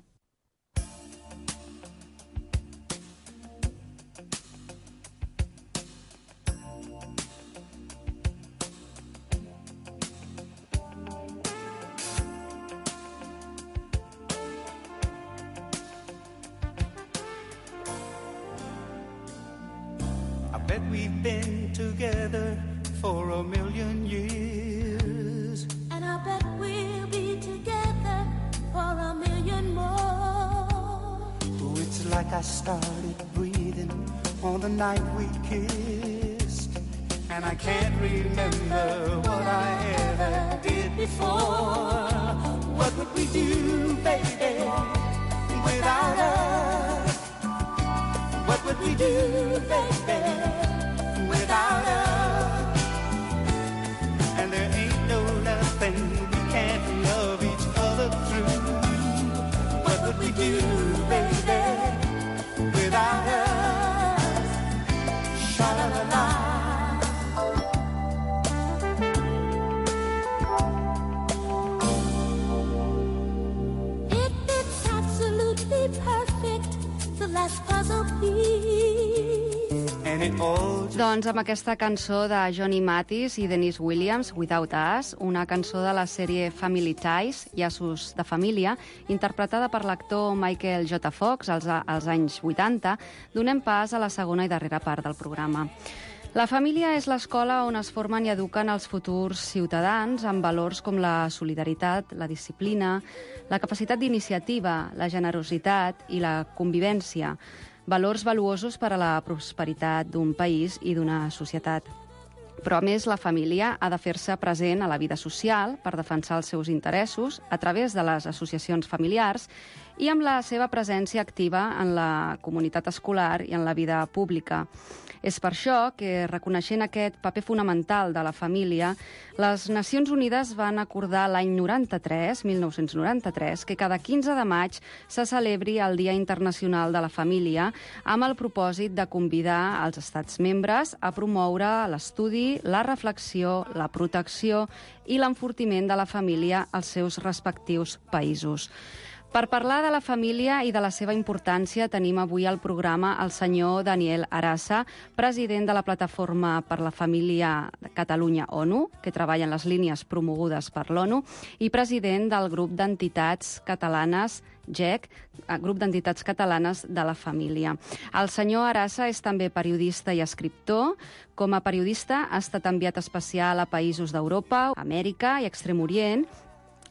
Bet we've been together for a million years. And I bet we'll be together for a million more. Oh, it's like I started breathing on the night we kissed. And I can't remember what I ever did before. What would we do, baby, without us? What would we do, baby, without us? And there ain't no nothing we can't love each other through. What would we do, baby, without us? Sha-la-la-la. It, it's absolutely perfect, the last puzzle piece. Doncs amb aquesta cançó de Johnny Mathis i Denise Williams, Without Us, una cançó de la sèrie Family Ties, llaços de família, interpretada per l'actor Michael J. Fox als, als anys vuitanta, donem pas a la segona i darrera part del programa. La família és l'escola on es formen i eduquen els futurs ciutadans amb valors com la solidaritat, la disciplina, la capacitat d'iniciativa, la generositat i la convivència, valors valuosos per a la prosperitat d'un país i d'una societat. Però, a més, la família ha de fer-se present a la vida social per defensar els seus interessos a través de les associacions familiars i amb la seva presència activa en la comunitat escolar i en la vida pública. És per això que, reconeixent aquest paper fonamental de la família, les Nacions Unides van acordar l'any noranta-tres, mil nou-cents noranta-tres, que cada quinze de maig se celebri el Dia Internacional de la Família amb el propòsit de convidar els estats membres a promoure l'estudi, la reflexió, la protecció i l'enfortiment de la família als seus respectius països. Per parlar de la família i de la seva importància tenim avui al programa el senyor Daniel Arassa, president de la Plataforma per la Família de Catalunya-ONU, que treballa en les línies promogudes per l'ONU, i president del grup d'entitats catalanes G E C, grup d'entitats catalanes de la família. El senyor Arassa és també periodista i escriptor. Com a periodista ha estat enviat especial a països d'Europa, Amèrica i Extrem Orient,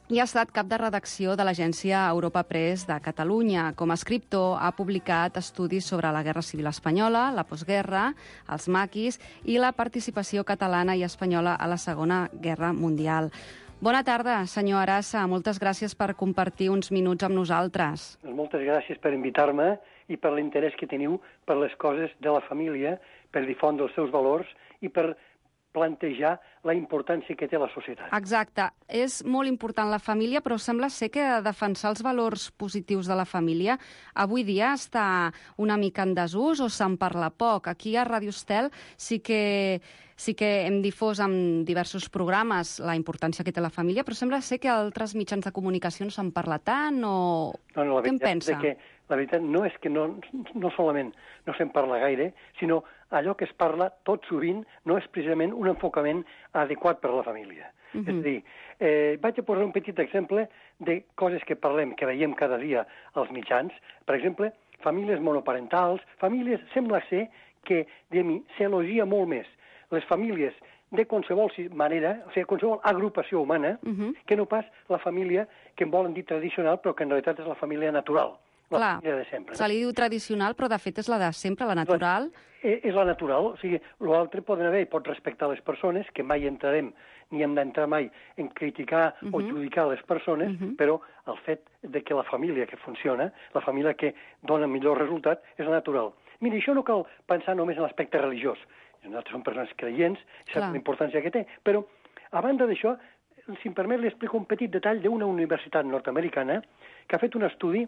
i ha estat cap de redacció de l'agència Europa Press de Catalunya. Com a escriptor ha publicat estudis sobre la Guerra Civil Espanyola, la postguerra, els maquis i la participació catalana i espanyola a la Segona Guerra Mundial. Bona tarda, senyor Arassa. Moltes gràcies per compartir uns minuts amb nosaltres. Moltes gràcies per invitar-me i per l'interès que teniu per les coses de la família, per difondre els seus valors i per plantejar la importància que té la societat. Exacte. És molt important la família, però sembla ser que defensar els valors positius de la família avui dia està una mica en desús o se'n parla poc. Aquí a Ràdio Estel sí que, sí que hem difós en diversos programes la importància que té la família, però sembla ser que altres mitjans de comunicació no se'n parla tant o... No, no, la Què en pensa? Que, la veritat no és que no, no solament no se'n parla gaire, sinó allò que es parla tot sovint no és precisament un enfocament adequat per a la família. Uh-huh. És a dir, eh, vaig a posar un petit exemple de coses que parlem, que veiem cada dia als mitjans. Per exemple, famílies monoparentals, famílies, sembla ser que, diguem-hi, s'elogia molt més les famílies de qualsevol manera, o sigui, qualsevol agrupació humana, uh-huh. que no pas la família que en volen dir tradicional, però que en realitat és la família natural. La Clar, família de sempre. Se li diu tradicional, però de fet és la de sempre, la natural. És, és la natural, o sigui, l'altre poden haver i pot respectar les persones, que mai entrarem ni hem d'entrar mai en criticar uh-huh. o judicar les persones, uh-huh. però el fet de que la família que funciona, la família que dona millor resultat, és la natural. Mira, això no cal pensar només en l'aspecte religiós. Nosaltres som persones creients, sap la importància que té, però a banda d'això, si em permet, li explico un petit detall d'una universitat nord-americana que ha fet un estudi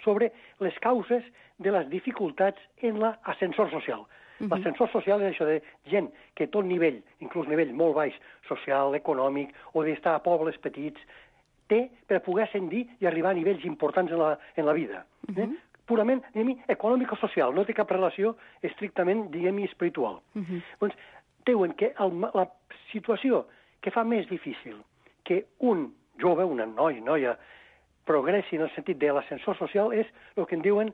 sobre les causes de les dificultats en l'ascensor social. Uh-huh. L'ascensor social és això de gent que tot nivell, inclús nivell molt baix, social, econòmic, o d'estar a pobles petits, té per poder ascendir i arribar a nivells importants en la, en la vida. Uh-huh. Eh? Purament, diguem-hi, econòmico-social, no té cap relació estrictament, diguem-hi, espiritual. Uh-huh. Doncs diuen que el, la situació que fa més difícil que un jove, una noi, noia, progressi en el sentit de l'ascensor social és el que en diuen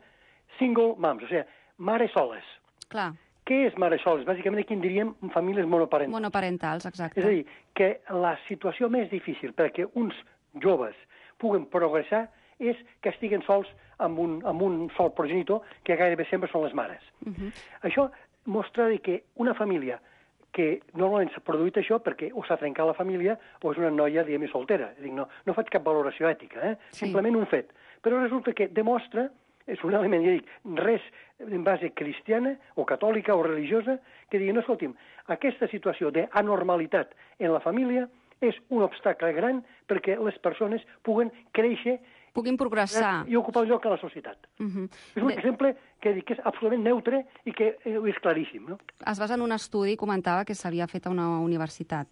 single moms, o sigui, mares soles. Clar. Què és mares soles? Bàsicament aquí en diríem famílies monoparentals. Monoparentals, exacte. És a dir, que la situació més difícil perquè uns joves puguen progressar és que estiguen sols amb un, amb un sol progenitor, que gairebé sempre són les mares. Uh-huh. Això mostra que una família que normalment s'ha produït això perquè o s'ha trencat la família o és una noia, diguem-hi, soltera. Dic, no, no faig cap valoració ètica, eh? Sí. Simplement un fet. Però resulta que demostra, és un element, ja dic, res en base cristiana o catòlica o religiosa, que digui, no, escolti'm, aquesta situació d'anormalitat en la família és un obstacle gran perquè les persones puguen créixer puguin progressar i ocupar un lloc a la societat. Uh-huh. És un Bé... exemple que dic que és absolutament neutre i que és claríssim. No? Es basa en un estudi i comentava que s'havia fet a una universitat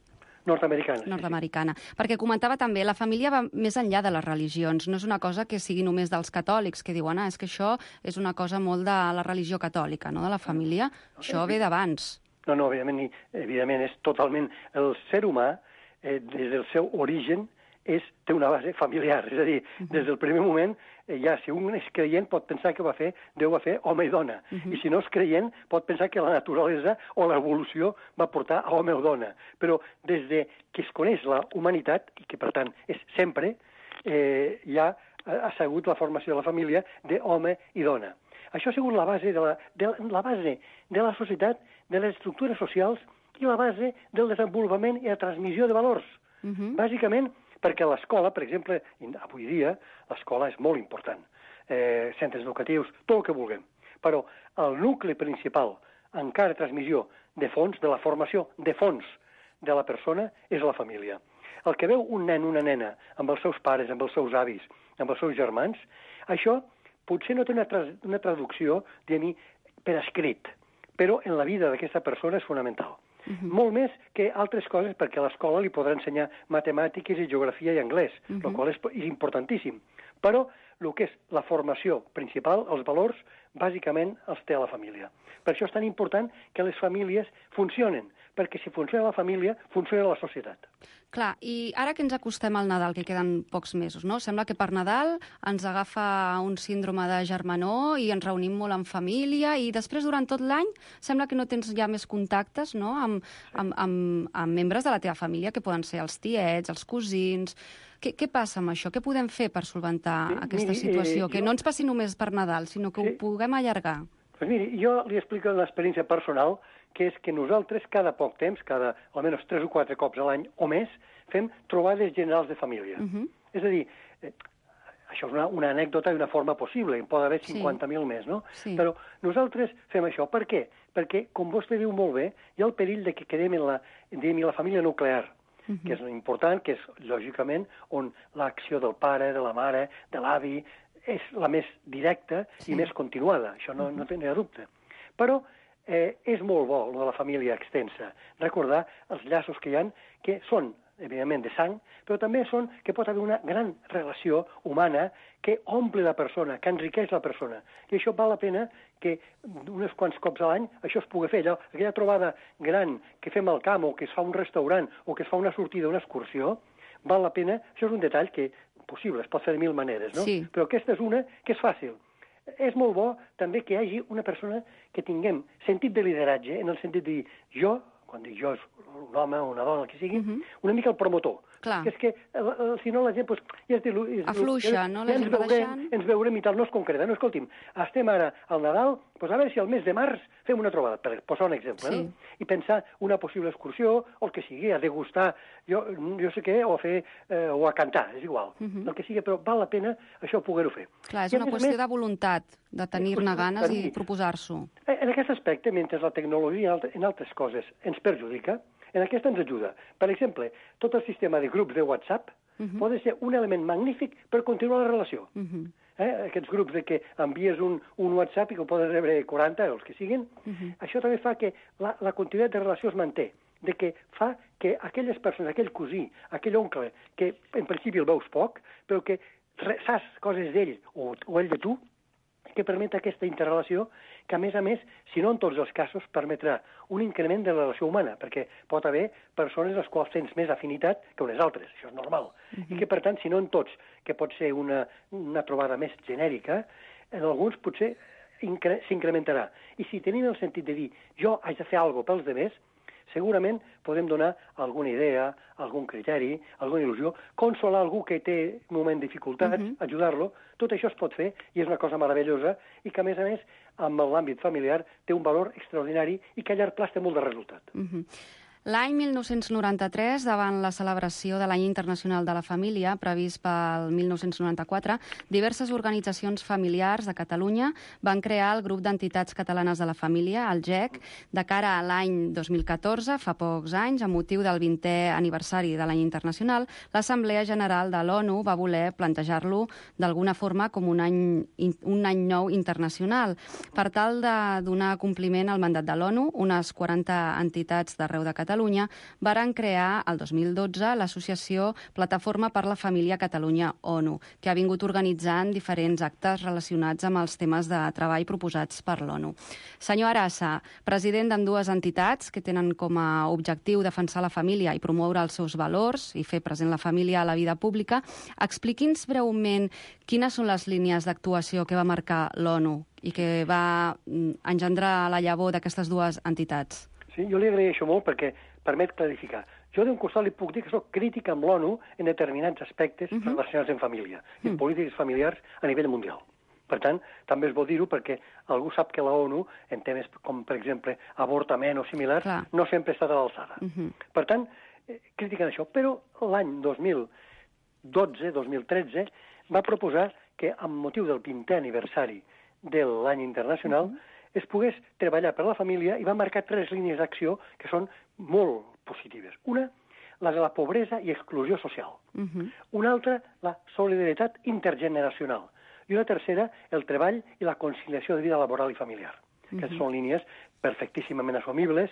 nord-americana. Nord-americana. Sí, sí. Perquè comentava també, la família va més enllà de les religions. No és una cosa que sigui només dels catòlics, que diuen, ah, és que això és una cosa molt de la religió catòlica, no de la família. No, això ve d'abans. No, no, evidentment, evidentment és totalment... El ser humà, eh, des del seu origen, és, té una base familiar, és a dir, uh-huh. des del primer moment, eh, ja si un és creient pot pensar que va fer, Déu va fer home i dona, uh-huh. i si no és creient pot pensar que la naturalesa o l'evolució va portar a home o dona, però des de que es coneix la humanitat, i que per tant és sempre, eh, ja ha sigut la formació de la família d'home i dona. Això ha sigut la base de la, de la base de la societat, de les estructures socials i la base del desenvolupament i la transmissió de valors. Uh-huh. Bàsicament, perquè l'escola, per exemple, avui dia, l'escola és molt important. Eh, centres educatius, tot el que vulguem. Però el nucli principal encara transmissió de fons, de la formació de fons de la persona, és la família. El que veu un nen, una nena, amb els seus pares, amb els seus avis, amb els seus germans, això potser no té una, tra una traducció, diguem-hi, per escrit, però en la vida d'aquesta persona és fonamental. Uh-huh. Molt més que altres coses, perquè a l'escola li podrà ensenyar matemàtiques i geografia i anglès, uh-huh. el qual és, és importantíssim. Però el que és la formació principal, els valors, bàsicament els té a la família. Per això és tan important que les famílies funcionen, perquè si funciona la família, funciona la societat. Clar, i ara que ens acostem al Nadal, que queden pocs mesos, no? Sembla que per Nadal ens agafa un síndrome de germanor i ens reunim molt en família i després, durant tot l'any, sembla que no tens ja més contactes, no?, amb, amb, amb, amb membres de la teva família, que poden ser els tiets, els cosins. Què, què passa amb això? Què podem fer per solventar sí, aquesta miri, situació? Eh, que jo... no ens passi només per Nadal, sinó que sí. ho puguem allargar. Pues miri, jo li explico una experiència personal, que és que nosaltres cada poc temps, cada almenys tres o quatre cops a l'any o més, fem trobades generals de família. Uh-huh. És a dir, eh, això és una, una anècdota i una forma possible, hi pot haver cinquanta mil sí. més, no? Sí. Però nosaltres fem això. Per què? Perquè, com vostè diu molt bé, hi ha el perill de que quedem en la, en la família nuclear, uh-huh. que és important, que és, lògicament, on l'acció del pare, de la mare, de l'avi, és la més directa sí. i més continuada. Això no, uh-huh. no tenia dubte. Però eh, és molt bo, lo de la família extensa, recordar els llaços que hi ha, que són, evidentment, de sang, però també són que pot haver una gran relació humana que omple la persona, que enriqueix la persona. I això val la pena que uns quants cops a l'any això es pugui fer. Allò, aquella trobada gran que fem al camp o que es fa un restaurant o que es fa una sortida, una excursió, val la pena. Això és un detall que possible, es pot fer de mil maneres, no? Sí. Però aquesta és una que és fàcil. És molt bo també que hi hagi una persona que tinguem sentit de lideratge, en el sentit de dir jo, quan dic jo és un home o una dona, el que sigui, uh-huh. una mica el promotor. Clar. Que és que, si no, la gent, pues, ja es diu... Afluixa, ja, no? Ja La ens gent veurem, deixant... ens veurem i tal, no es concreta. No, escolti'm, estem ara al Nadal, pues a veure si al mes de març fem una trobada, per posar un exemple, sí. no? I pensar una possible excursió, o el que sigui, a degustar, jo, jo sé què, o a fer, eh, o a cantar, és igual. Uh-huh. El que sigui, però val la pena això poder-ho fer. Clar, és I una qüestió més, de voluntat, de tenir-ne ganes tenir. i proposar-s'ho. En aquest aspecte, mentre la tecnologia en altres coses ens perjudica, en aquesta ens ajuda. Per exemple, tot el sistema de grups de WhatsApp uh-huh. pot ser un element magnífic per continuar la relació. Uh-huh. eh? Aquests grups de que envies un, un WhatsApp i que ho poden rebre quaranta, els que siguin, uh-huh. això també fa que la, la continuïtat de relació es manté, de que fa que aquelles persones, aquell cosí, aquell oncle, que en principi el veus poc, però que saps coses d'ell o, o ell de tu, que permet aquesta interrelació que, a més a més, si no en tots els casos, permetrà un increment de la relació humana, perquè pot haver persones les quals tens més afinitat que unes altres, això és normal. Uh-huh. I que, per tant, si no en tots, que pot ser una, una trobada més genèrica, en alguns potser s'incrementarà. I si tenim el sentit de dir jo haig de fer alguna cosa pels demés, segurament podem donar alguna idea, algun criteri, alguna il·lusió, consolar algú que té un moment de dificultats, uh-huh. ajudar-lo, tot això es pot fer i és una cosa meravellosa i que, a més a més, amb l'àmbit familiar té un valor extraordinari i que a llarg plaç té molt de resultat. Uh-huh. L'any mil nou-cents noranta-tres, davant la celebració de l'Any Internacional de la Família, previst pel mil nou-cents noranta-quatre, diverses organitzacions familiars de Catalunya van crear el Grup d'Entitats Catalanes de la Família, el G E C, de cara a l'any dos mil catorze, fa pocs anys, a motiu del vintè aniversari de l'Any Internacional, l'Assemblea General de l'ONU va voler plantejar-lo d'alguna forma com un any, un any nou internacional. Per tal de donar compliment al mandat de l'ONU, unes quaranta entitats d'arreu de Catalunya Catalunya varen crear el dos mil dotze l'associació Plataforma per la Família Catalunya ONU, que ha vingut organitzant diferents actes relacionats amb els temes de treball proposats per l'ONU. Senyor Arassa, president d'ambdues entitats que tenen com a objectiu defensar la família i promoure els seus valors i fer present la família a la vida pública, expliqui'ns breument quines són les línies d'actuació que va marcar l'ONU i que va engendrar la llavor d'aquestes dues entitats. Sí, jo li agraeixo molt perquè permet clarificar. Jo d'un costat li puc dir que soc crític amb l'ONU en determinats aspectes uh-huh. relacionats amb família i en uh-huh. polítiques familiars a nivell mundial. Per tant, també és bo dir-ho perquè algú sap que la ONU, en temes com, per exemple, avortament o similars, Clar. no sempre ha estat a l'alçada. Uh-huh. Per tant, eh, critiquen això. Però l'any dos mil dotze dos mil tretze va proposar que, amb motiu del vintè aniversari de l'any internacional, uh-huh. es pogués treballar per la família i va marcar tres línies d'acció que són molt positives. Una, la de la pobresa i exclusió social. Uh-huh. Una altra, la solidaritat intergeneracional. I una tercera, el treball i la conciliació de vida laboral i familiar. Uh-huh. Aquestes són línies perfectíssimament assumibles,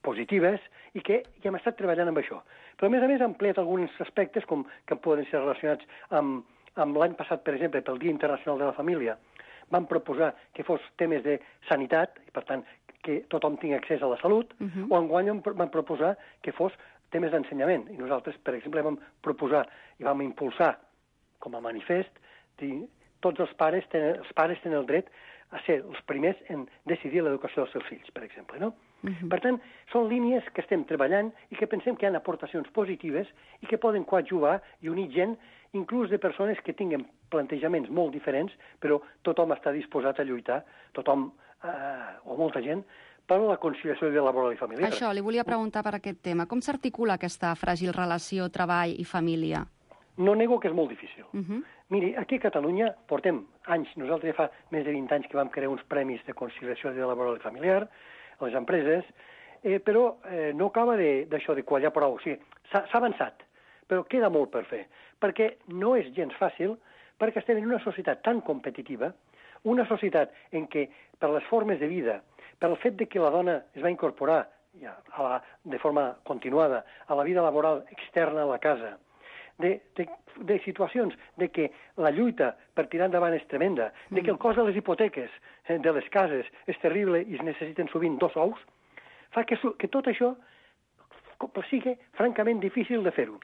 positives, i que ja hem estat treballant amb això. Però, a més a més, ha ampliat alguns aspectes com que poden ser relacionats amb, amb l'any passat, per exemple, pel Dia Internacional de la Família. Vam proposar que fos temes de sanitat, i per tant, que tothom tingui accés a la salut, uh-huh. o enguany vam proposar que fos temes d'ensenyament. I nosaltres, per exemple, vam proposar i vam impulsar, com a manifest, dir, tots els pares tenen, els pares tenen el dret a ser els primers en decidir l'educació dels seus fills, per exemple, no? Uh-huh. Per tant, són línies que estem treballant i que pensem que hi ha aportacions positives i que poden coadjuvar i unir gent, inclús de persones que tinguen plantejaments molt diferents, però tothom està disposat a lluitar, tothom, eh, o molta gent, per la conciliació de laboral i familiar. Això, li volia preguntar per aquest tema. Com s'articula aquesta fràgil relació treball i família? No nego que és molt difícil. Uh-huh. Miri, aquí a Catalunya portem anys, nosaltres ja fa més de vint anys que vam crear uns premis de conciliació de laboral i familiar a les empreses, eh, però eh, no acaba d'això de, de quallar prou. O sigui, s'ha avançat, però queda molt per fer, perquè no és gens fàcil, perquè estem en una societat tan competitiva, una societat en què, per les formes de vida, per el fet de que la dona es va incorporar ja, a la, de forma continuada a la vida laboral externa a la casa, de, de, de situacions de que la lluita per tirar endavant és tremenda, de que el cost de les hipoteques de les cases és terrible i es necessiten sovint dos ous, fa que, que tot això sigui francament difícil de fer-ho.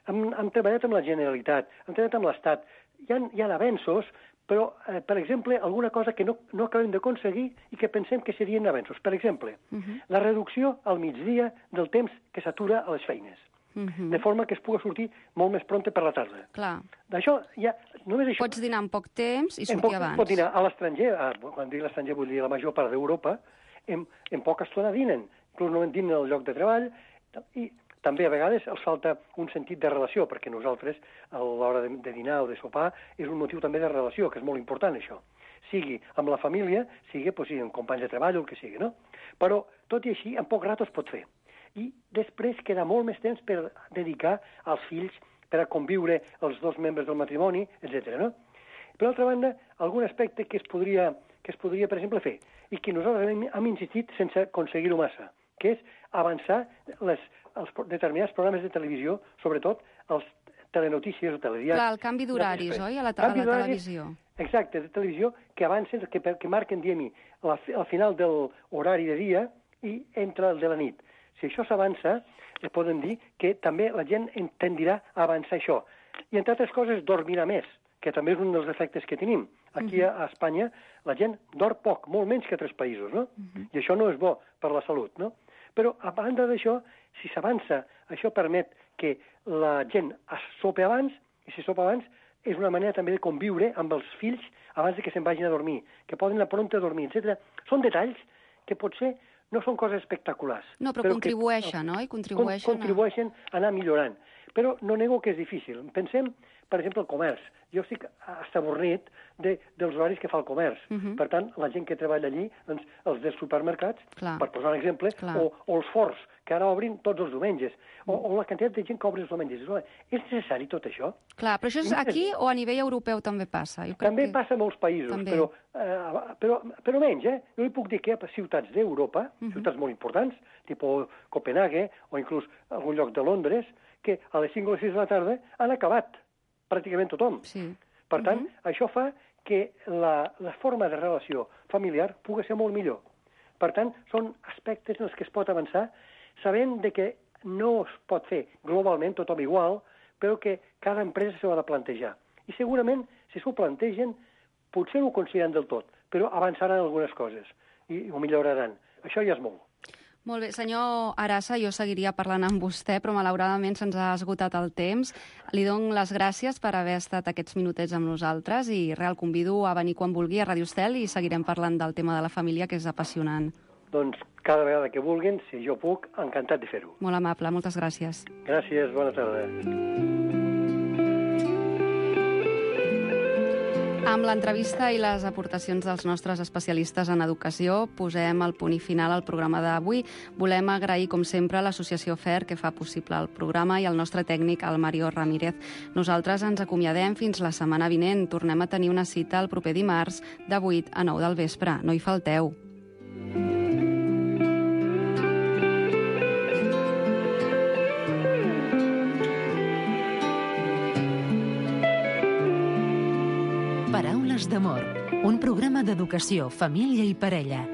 Hem, hem treballat amb la Generalitat, hem treballat amb l'Estat, hi ha, hi ha avenços, però, eh, per exemple, alguna cosa que no, no acabem d'aconseguir i que pensem que serien avenços. Per exemple, uh-huh. la reducció al migdia del temps que s'atura a les feines. Uh-huh. De forma que es pugui sortir molt més prompte per la tarda. Clar. D'això, ja, només això... Pots dinar en poc temps i sortir poc, abans. Pots dinar a l'estranger, quan dic l'estranger vull dir la major part d'Europa, en, en poca estona dinen, inclús no en dinen al lloc de treball, i també a vegades els falta un sentit de relació, perquè nosaltres, a l'hora de, de dinar o de sopar, és un motiu també de relació, que és molt important això. Sigui amb la família, sigui pues, amb companys de treball o el que sigui, no? Però, tot i així, en poc rato es pot fer. I després queda molt més temps per dedicar als fills, per a conviure els dos membres del matrimoni, etcètera. No? Per altra banda, algun aspecte que es podria, que es podria per exemple, fer, i que nosaltres hem, hem insistit sense aconseguir-ho massa, que és avançar les, els determinats programes de televisió, sobretot els telenotícies o telediaris. Clar, el canvi d'horaris, oi, a la, a la televisió. Exacte, de televisió, que avancen, que, que marquen, diguem-hi, al final de l'horari de dia i entre el de la nit. Si això s'avança, es poden dir que també la gent tendirà a avançar això. I, entre altres coses, dormirà més, que també és un dels efectes que tenim. Aquí a Espanya la gent dorm poc, molt menys que a altres països, no? Uh-huh. I això no és bo per la salut, no? Però, a banda d'això, si s'avança, això permet que la gent es sopi abans, i si sopa abans, és una manera també de conviure amb els fills abans de que se'n vagin a dormir, que poden anar prompte a dormir, etcètera. Són detalls que potser no són coses espectaculars. No, però, però contribueixen, no? I contribueixen, contribueixen a... a anar millorant. Però no nego que és difícil. Pensem, per exemple, el comerç. Jo estic estabornit de, dels horaris que fa el comerç. Uh-huh. Per tant, la gent que treballa allí, doncs, els dels supermercats, Clar. per posar un exemple, o, o els forts, que ara obrin tots els diumenges, o, o la quantitat de gent que obre els diumenges. És necessari tot això? Clar, però això és aquí o a nivell europeu també passa? Jo crec també que... passa a molts països, però, eh, però, però menys, eh? Jo li puc dir que a ciutats d'Europa, uh-huh. ciutats molt importants, tipus Copenhague, o inclús algun lloc de Londres, que a les cinc o les sis de la tarda han acabat pràcticament tothom. Sí. Per tant, uh-huh. això fa que la, la forma de relació familiar pugui ser molt millor. Per tant, són aspectes en els que es pot avançar, sabent de que no es pot fer globalment tothom igual, però que cada empresa s'ho ha de plantejar. I segurament, si s'ho plantegen, potser no ho consideren del tot, però avançaran algunes coses i ho milloraran. Això ja és molt. Molt bé, senyor Arasa, jo seguiria parlant amb vostè, però malauradament se'ns ha esgotat el temps. Li dono les gràcies per haver estat aquests minutets amb nosaltres i real convido a venir quan vulgui a Ràdio Estel i seguirem parlant del tema de la família, que és apassionant. Doncs cada vegada que vulguin, si jo puc, encantat de fer-ho. Molt amable, moltes gràcies. Gràcies, bona tarda. Amb l'entrevista i les aportacions dels nostres especialistes en educació posem el punt i final al programa d'avui. Volem agrair, com sempre, a l'associació F E R, que fa possible el programa, i al nostre tècnic, el Mario Ramírez. Nosaltres ens acomiadem fins la setmana vinent. Tornem a tenir una cita el proper dimarts de vuit a nou del vespre. No hi falteu. Paraules d'amor, un programa d'educació, família i parella,